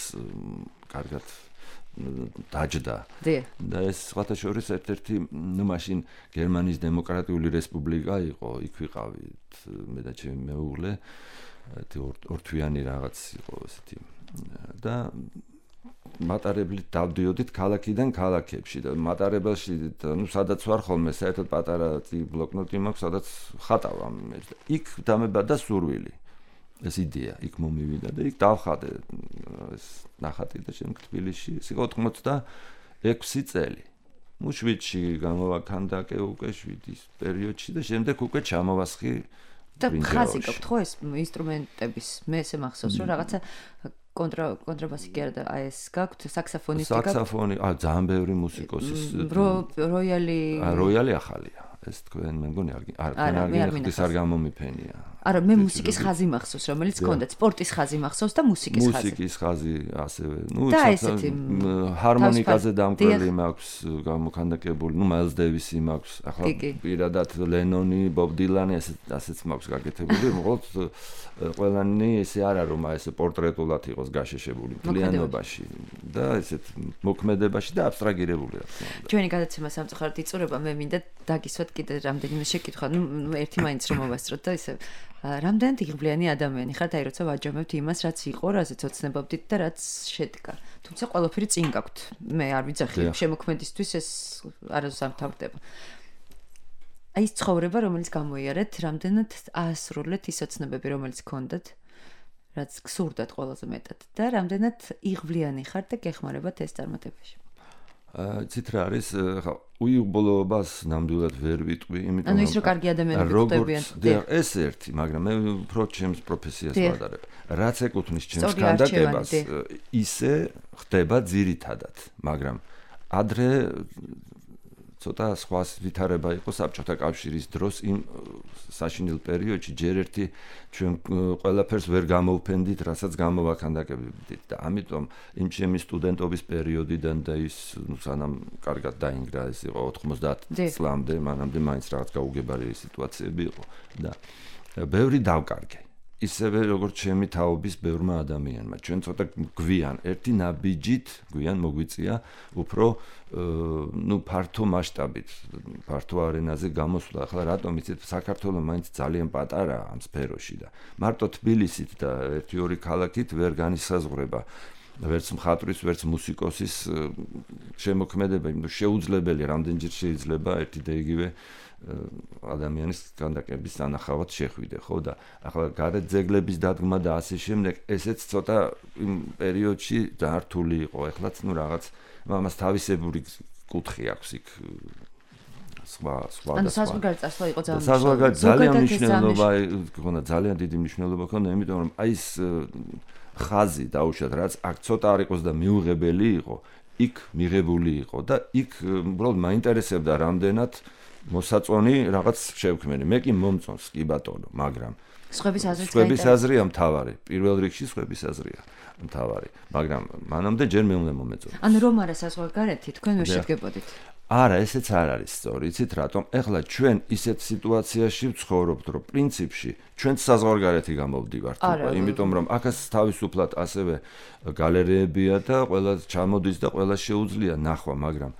კარგად დაჯდა. და ეს სხვათა შორის ერთ-ერთი, ნუ მაშინ გერმანიის დემოკრატიული რესპუბლიკა იყო, იქ ვიყავით მე და ჩემი მეუღლე, ორთვიანი რაღაც იყო ესეთი და მატარებლით დავდიოდით ქალაქიდან ქალაქებში და მატარებელში, ნუ სადაც ვარ ხოლმე, საერთოდ პატარა ბლოკნოტი მაქვს, სადაც ხატავ ამ იქ დამებადა სურვილი. ეს იდეა იქ მომივიდა და იქ დავხატე ეს ნახატი და შემდეგ თბილისში ის იყო ოცდაექვსი წელი. ნუ შვიდში გამოვაქანდაკე უკვე შვიდის პერიოდში და შემდეგ უკვე ჩამოვასხი და ხაზი გაქვთ ხო ეს ინსტრუმენტების მე ესე მახსოვს რომ რაღაცა კონტრა კონტრაბასი კი არა და აი ეს გაქვთ საქსაფონისტი გაქვთ საქსაფონი აა ძალიან ბევრი მუსიკოსის როიალი აა როიალი ახალია ეს თქვენ მე მგონი არ არ არ ის არ გამომიფენია არა მე მუსიკის ხაზი მახსოვს რომელიც გქონდათ სპორტის ხაზი მახსოვს და მუსიკის ხაზი მუსიკის ხაზი ასევე ნუ ჰარმონიკაზე დამკველი მაქვს გამოქანდაკებული ნუ მაილს დევისი მაქვს ახლა პირადად ლენონი ბობ დილანი ასე ასეც მაქვს გაკეთებული მოყოლთ ყველანი ესე არა რომ აი ესე პორტრეტულად იყოს გაშეშებული მთლიანობაში და ესეთ მოქმედებაში და აბსტრაგირებული რა თქმა უნდა ჩვენი გადაცემა სამწუხაროდ იწურება მე მინდა დაგისვათ კიდე რამდენიმე შეკითხვა ნუ ერთი მაინც რომ მოვასწროთ და ისე რამდენად იღბლიანი ადამიანი ხართ აი როცა ვაჯამებთ იმას რაც იყო რაზეც ოცნებობდით და რაც შედგა თუმცა ყველაფერი წინ გაქვთ მე არ ვიძახი შემოქმედისთვის ეს არასდროს არ მთავრდება აი ეს ცხოვრება რომელიც გამოიარეთ რამდენად აასრულეთ ის ოცნებები რომელიც გქონდათ რაც გსურდათ ყველაზე მეტად და რამდენად იღბლიანი ხართ და გეხმარებათ ეს წარმატებაში ცით რა არის ხა უიღბლობას ნამდვილად ვერ ვიტყვი იმიტომ რომ ანუ ის რო კარგი ადამიანები ხდებიან ეს ერთი მაგრამ მე უფრო ჩემს პროფესიას ვადარებ რაც ეკუთვნის ჩემს კანდიდატებას ისე ხდება ძირითადად მაგრამ ადრე ცოტა სხვა ვითარება იყო საბჭოთა კავშირის დროს იმ საშინელ პერიოდში ჯერ ერთი ჩვენ ყველაფერს ვერ გამოვფენდით, რასაც გამოვაქანდაკებდით და ამიტომ იმ ჩემი სტუდენტობის პერიოდიდან და ის ნუ სანამ კარგად დაინგრა ეს იყო ოთხმოცდაათ წლამდე, მანამდე მაინც რაღაც გაუგებარი სიტუაციები იყო და ბევრი დავკარგე. ისევე როგორც ჩემი თაობის ბევრმა ადამიანმა. ჩვენ ცოტა გვიან ერთი ნაბიჯით, გვიან მოგვიწია უფრო ნუ ფართო მასშტაბით, ფართო არენაზე გამოსვლა. ახლა რატომ იცით საქართველოს მაინც ძალიან პატარაა ამ სფეროში და მარტო თბილისით და ერთი ორი ქალაქით ვერ განისაზღვრება ვერც მხატვრის, ვერც მუსიკოსის შემოქმედება, იმიტომ შეუძლებელი რამდენჯერ შეიძლება ერთი და იგივე ადამიანის კანდიდატების ანახავად შეხვიდე, ხო და ახლა გარეთ ძეგლების დადგმა და ასე შემდეგ, ესეც ცოტა იმ პერიოდში ძართული იყო. ეხლაც ნუ რაღაც ამას თავისებური კუთხე აქვს იქ სხვა სხვა და სხვა. ანუ საზღვარგარეთ წასვლა იყო ძალიან საზღვარგარეთ ძალიან მნიშვნელობა ქონდა, ძალიან დიდი მნიშვნელობა ქონდა, იმიტომ რომ აი ეს ხაზი დაუშვათ, რაც აქ ცოტა არ იყოს და მიუღებელი იყო, იქ მიღებული იყო და იქ უბრალოდ მაინტერესებდა რამდენად მოსაწონი რაღაც შევქმენი. მე კი მომწონს კი ბატონო, მაგრამ სხვების აზრიც სხვების აზრია მთავარი. პირველ რიგში სხვების აზრია მთავარი, მაგრამ მანამდე ჯერ მე უნდა მომეწონოს. ანუ რომ არა საზღვარგარეთი თქვენ ვერ შედგებოდით. არა, ესეც არ არის სწორი. იცით რატომ? ეხლა ჩვენ ისეთ სიტუაციაში ვცხოვრობთ, რომ პრინციპში ჩვენ საზღვარგარეთი გამოვდივართ, იმიტომ რომ აქაც თავისუფლად ასევე გალერეებია და ყველა ჩამოდის და ყველა შეუძლია ნახვა, მაგრამ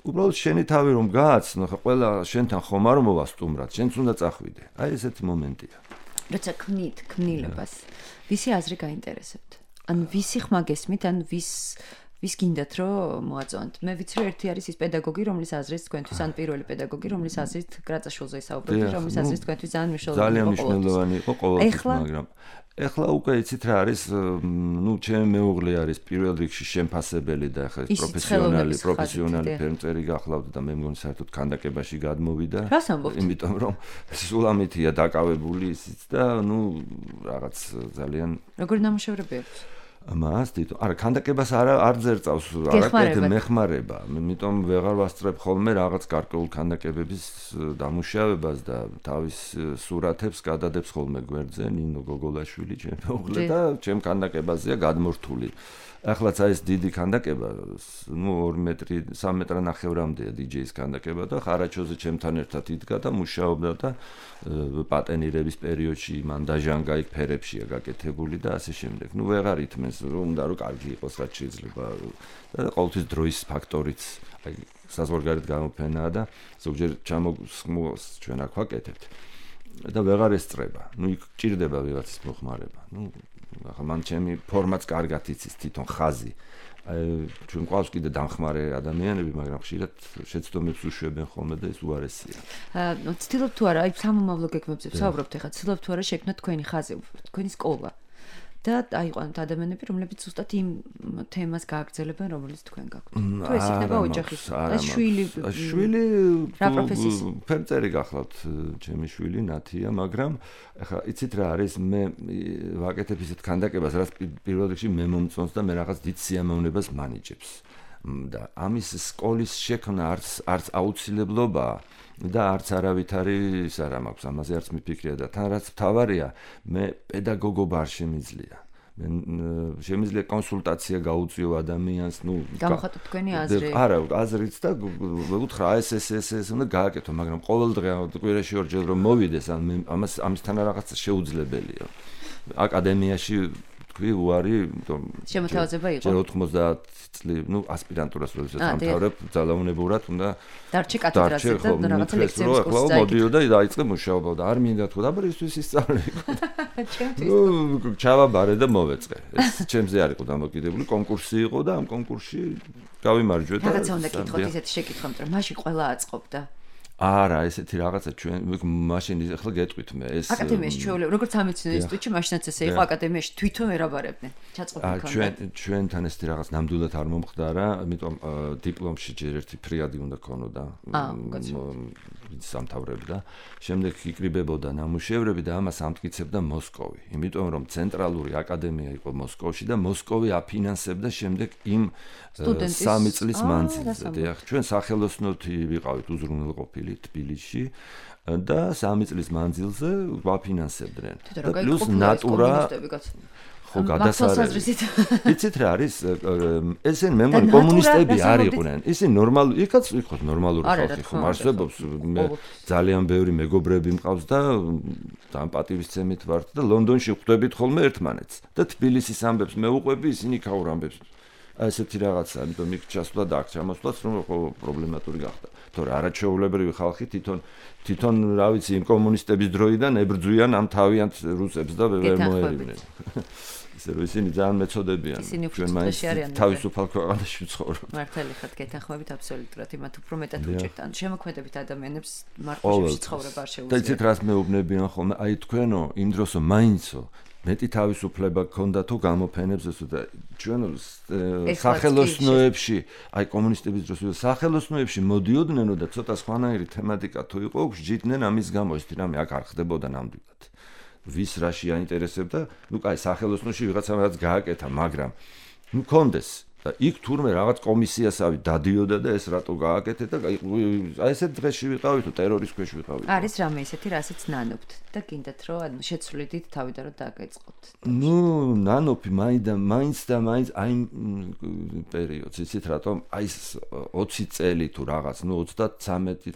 უბრალოდ შენი თავი რომ გააცნო, ხა ყველა შენთან ხომ არ მოვასტუმრად, შენც უნდა წახვიდე. აი ესეთი მომენტია. როცა ქმნით ქმნილებას, ვისი აზრი გაინტერესებთ? ან ვისი ხმა გესმით, ან ვის ვის გინდათ რომ მოაწონთ? მე ვიცი რომ ერთი არის ის პედაგოგი, რომლის აზრით თქვენთვის ან პირველი პედაგოგი, რომლის აზრით გრაწაშვილზე ისაუბრებთ, რომლის აზრით თქვენთვის ძალიან მნიშვნელოვანი იყო. ძალიან მნიშვნელოვანი იყო ყოველთვის, მაგრამ ეხლა უკვე იცით რა არის, ნუ ჩემი მეუღლე არის პირველ რიგში შემფასებელი და ახლა პროფესიონალი, პროფესიონალი ფერმწერი გახლავდა და მე მგონი საერთოდ კანდიდატებაში გადმოვიდა. იმიტომ რომ სულ ამითია დაკავებული ისიც და ნუ რაღაც ძალიან როგორი ნამუშევრები აქვს? მას თვითონ არა კანდიდატებას არ არ ძერწავს არაკეთე მეხმარება, იმიტომ ვეღარ ვასწრებ ხოლმე რაღაც გარკვეულ კანდიდატების დამუშავებას და თავის სურათებს გადადებს ხოლმე გვერდზე ნინო გოგოლაშვილი ჩემი მეუღლე და ჩემ კანდიდატებაზეა გადმორთული. ახლაც აი ეს დიდი კანდიდატება, ნუ ორი მეტრი, სამი მეტრანახევრამდეა დიჯეის კანდიდატება და ხარაჩოზე ჩემთან ერთად იდგა და მუშაობდა და პატენირების პერიოდში მან დაჟანგა იქ ფერებშია გაკეთებული და ასე შემდეგ. ნუ ვეღარ ითმენს რომ უნდა რომ კარგი იყოს რაც შეიძლება და ყოველთვის დროის ფაქტორიც აი საზღვარგარეთ გამოფენაა და ზოგჯერ ჩამოსხმოს ჩვენ აქ ვაკეთებთ და ვეღარ ესწრება. ნუ იქ ჭირდება ვიღაცის მოხმარება. ნუ ახლა მან ჩემი ფორმაც კარგად იცის თვითონ ხაზი. აი ჩვენ ყავს კიდე დამხმარე ადამიანები, მაგრამ ხშირად შეცდომებს უშვებენ ხოლმე და ეს უარესია. აა ცდილობთ თუ არა, აი სამომავლო გეგმებზე ვსაუბრობთ ახლა, ცდილობთ თუ არა შექმნათ თქვენი ხაზი, თქვენი სკოლა. და აიყვანოთ ადამიანები, რომლებიც ზუსტად იმ თემას გააგრძელებენ, რომელიც თქვენ გაქვთ. თუ ეს იქნება ოჯახის, ეს შვილი, შვილი რა პროფესიის ფერწერი გახლავთ, ჩემი შვილი ნათია, მაგრამ ეხლა იცით რა არის, მე ვაკეთებ ისეთ ქანდაკებას, რაც პირველ რიგში მე მომწონს და მე რაღაც დიდ სიამოვნებას მანიჭებს. და ამის სკოლის შექმნა არც არც აუცილებლობაა და არც არავითარი ის არ მაქვს, ამაზე არც მიფიქრია და თან რაც მთავარია, მე პედაგოგობა არ შემიძლია. მე შემიძლია კონსულტაცია გაუწიო ადამიანს, ნუ გამოხატოთ თქვენი აზრი. არა, აზრიც და უთხრა ეს ეს ეს ეს უნდა გააკეთო, მაგრამ ყოველდღე კვირაში ორჯერ რომ მოვიდეს, ამას ამისთან რაღაცა შეუძლებელია. აკადემიაში თქვი უარი, იმიტომ შემოთავაზება იყო. ჯერ ოთხმოცდაათ წლი, ნუ ასპირანტურას როდესაც ამთავრებ, ძალაუნებურად უნდა დარჩე კათედრაზე და რაღაცა ლექციების კურსზე წაიგი. მოდიოდა და დაიწყე მუშაობა და არ მინდა თქვა, აბა ისთვის ისწავლე. ჩემთვის. ნუ ჩავაბარე და მოვეწყე. ეს ჩემზე არ იყო დამოკიდებული, კონკურსი იყო და ამ კონკურსში გავიმარჯვე და რაღაცა უნდა კითხოთ ისეთი შეკითხვა, მაგრამ მაშინ ყველა აწყობდა. არა, ესეთი რაღაცა ჩვენ მაშინ ახლა გეტყვით მე ეს აკადემიაში ჩვეულებრივ როგორც სამეცნიერო ინსტიტუტში მაშინაც ესე იყო აკადემიაში თვითონ ვერაბარებდნენ ჩაწყობილ ქონდა ჩვენ ჩვენთან ესეთი რაღაც ნამდვილად არ მომხდარა ამიტომ დიპლომში ჯერ ერთი ფრიადი უნდა ქონოდა სამთავრებდა შემდეგ იკრიბებოდა ნამუშევრები და ამას ამტკიცებდა მოსკოვი იმიტომ რომ ცენტრალური აკადემია იყო მოსკოვში და მოსკოვი აფინანსებდა შემდეგ იმ სამი წლის მანძილზე დიახ ჩვენ სახელოსნოთი ვიყავით უზრუნველყოფილი თბილისში და სამი წლის მანძილზე ვაფინანსებდნენ და პლუს ნატურა ხო გადასარევი იცით რა არის ესენ მე მგონი კომუნისტები არ იყვნენ ისინი ნორმალური იქაც იყო ნორმალური ხალხი ხომ არსებობს მე ძალიან ბევრი მეგობრები მყავს და ამ პატივისცემით ვართ და ლონდონში ხვდებით ხოლმე ერთმანეთს და თბილისის ამბებს მე უყვები ისინი ქაურ ამბებს ესეთი რაღაცა ამიტომ იქ ჩასვლა და აქ ჩამოსვლაც რომ პრობლემატური გახდა თორე არაჩვეულებრივი ხალხი თვითონ თვითონ რა ვიცი იმ კომუნისტების დროიდან ებრძვიან ამ თავიანთ რუსებს და ვერ მოერივნენ ისე რომ ისინი ძალიან მეწოდებიან ჩვენ მაინც თავისუფალ ქვეყანაში ვცხოვრობთ მართალი ხართ გეთანხმებით აბსოლუტურად იმათ უფრო მეტად უჭერთ ან შემოქმედებით ადამიანებს მარტოში ცხოვრება არ შეუძლია და იცით რას მეუბნებიან ხოლმე აი თქვენო იმ დროსო მაინცო მეტი თავისუფლება გქონდა თუ გამოფენებს ესო და ჩვენ სახელოსნოებში აი კომუნისტების დროს სახელოსნოებში მოდიოდნენ და ცოტა სხვანაირი თემატიკა თუ იყო გჯიდნენ ამის გამო ეს რამე აქ არ ხდებოდა ნამდვილად ვის რაში აინტერესებდა ნუ კაი სახელოსნოში ვიღაცამ რაღაც გააკეთა მაგრამ ნუ კონდეს და იქ თურმე რაღაც კომისიასავი დადიოდა და ეს რატო გააკეთე და აი ესეთ დღეში ვიყავით თუ ტერორის ქვეშ ვიყავით არის რამე ისეთი რასაც ნანობთ და გინდათ რომ ანუ შეცვლიდით თავიდან რომ დააგეწყოთ ნუ ნანოფი მაინდა მაინც და მაინც აი პერიოდს იცით რატომ აი ოცი წელი თუ რაღაც ნუ ოცდათრამეტი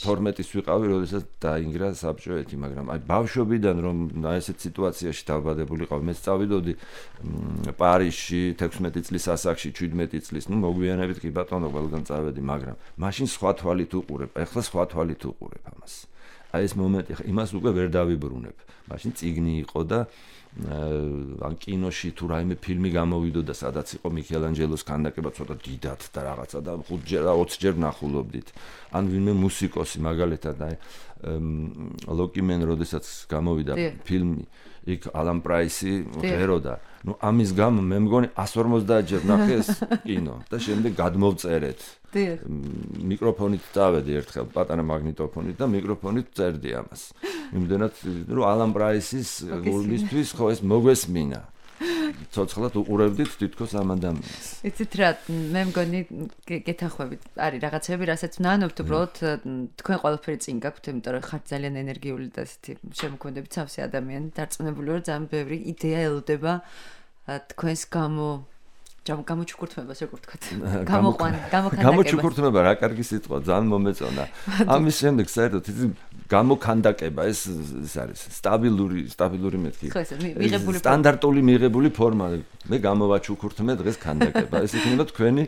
თორმეტის ვიყავი როდესაც დაინგრა საბჭოეთი მაგრამ აი ბავშვობიდან რომ ესეთ სიტუაციაში დავბადებულიყავ მე სწავიდოდი პარიზში თექვსმეტი წლის ასაკში შვიდმეტი წლის, ნუ მოგვიანებით კი ბატონო ყველგან წავედი, მაგრამ მაშინ სხვა თვალით უყურებ, ეხლა სხვა თვალით უყურებ ამას. აი ეს მომენტი, იმას უკვე ვერ დავიბრუნებ. მაშინ წიგნი იყო და ან კინოში თუ რაიმე ფილმი გამოვიდოდა, სადაც იყო მიქელანჯელოს ქანდაკება ცოტა დიდად და რაღაცა და ხუთჯერ და ოცჯერ ნახულობდით. ან ვინმე მუსიკოსი მაგალითად აი ლოკიმენ როდესაც გამოვიდა ფილმი იქ ალან პრაისი ღეროდა ნუ ამის გამო მე მგონი εκατს ორმოცდაათ ჯერ ნახე ეს კინო და შემდეგ გადმოვწერეთ მიკროფონით წავედი ერთხელ პატარა მაგნიტოფონით და მიკროფონით წერდი ამას იმდენად რომ ალან პრაისის გულისთვის ხო ეს მოგვესმინა ცოცხლად უყურებდით თითქოს ამ ადამიანს. იცით რა, მე მგონი გეთანხმებით, არის რაღაცები, რასაც ვნანობთ, უბრალოდ თქვენ ყველაფერი წინ გაქვთ, იმიტომ რომ ხართ ძალიან ენერგიული და ესეთი შემოქმედებით სავსე ადამიანი, დარწმუნებული ვარ, ძალიან ბევრი იდეა ელოდება თქვენს გამო გამოჩუქურთმებას როგორ ვთქვათ. გამოყვან, გამოქანდაკებას. გამოჩუქურთმება რა კარგი სიტყვა, ძალიან მომეწონა. ამის შემდეგ საერთოდ ის გამოქანდაკება ეს ეს არის სტაბილური, სტაბილური მეთქი. ხო, ეს მიღებული სტანდარტული მიღებული ფორმა. მე გამოვაჩუქურთმე დღეს ქანდაკება. ეს იქნება თქვენი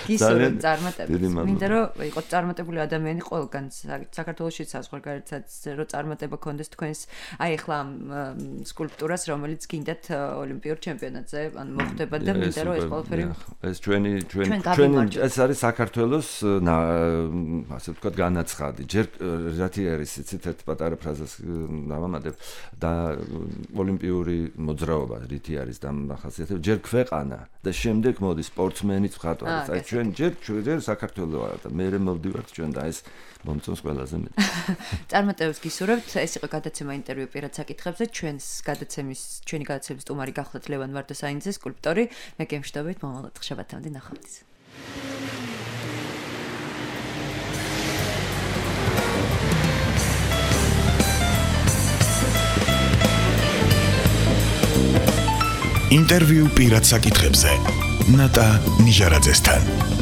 გისურვებთ წარმატებას. მინდა რომ იყოს წარმატებული ადამიანი ყველგან საქართველოშიც საზღვარგარეთსაც რომ წარმატება გქონდეს თქვენს აი ახლა სკულპტურას რომელიც გინდათ ოლიმპიურ ჩემპიონატზე ან ხდება და მინდა რომ ეს ყველაფერი ეს ჩვენი ჩვენი ჩვენი ეს არის საქართველოს ასე ვთქვათ განაცხადი. ჯერ რათი არის იცით ერთ პატარა ფრაზას დავამატებ და ოლიმპიური მოძრაობა რითი არის დამახასიათებელი. ჯერ ქვეყანა და შემდეგ მოდი სპორტსმენიც მხატვარი. აი ჩვენ ჯერ ჯერ საქართველო ვარ და მე მოვდივართ ჩვენ და ეს მომწონს ყველაზე მეტი. წარმატებებს გისურვებთ. ეს იყო გადაცემა ინტერვიუ პირად საკითხებზე. ჩვენს გადაცემის ჩვენი გადაცემის სტუმარი გახლდათ ლევან ვარდოსაინძე, სკულპტორი. მე გემშვიდობით მომავალ შაბათამდე ნახვამდის. ინტერვიუ პირად საკითხებზე ნატა ნიჟარაძესთან.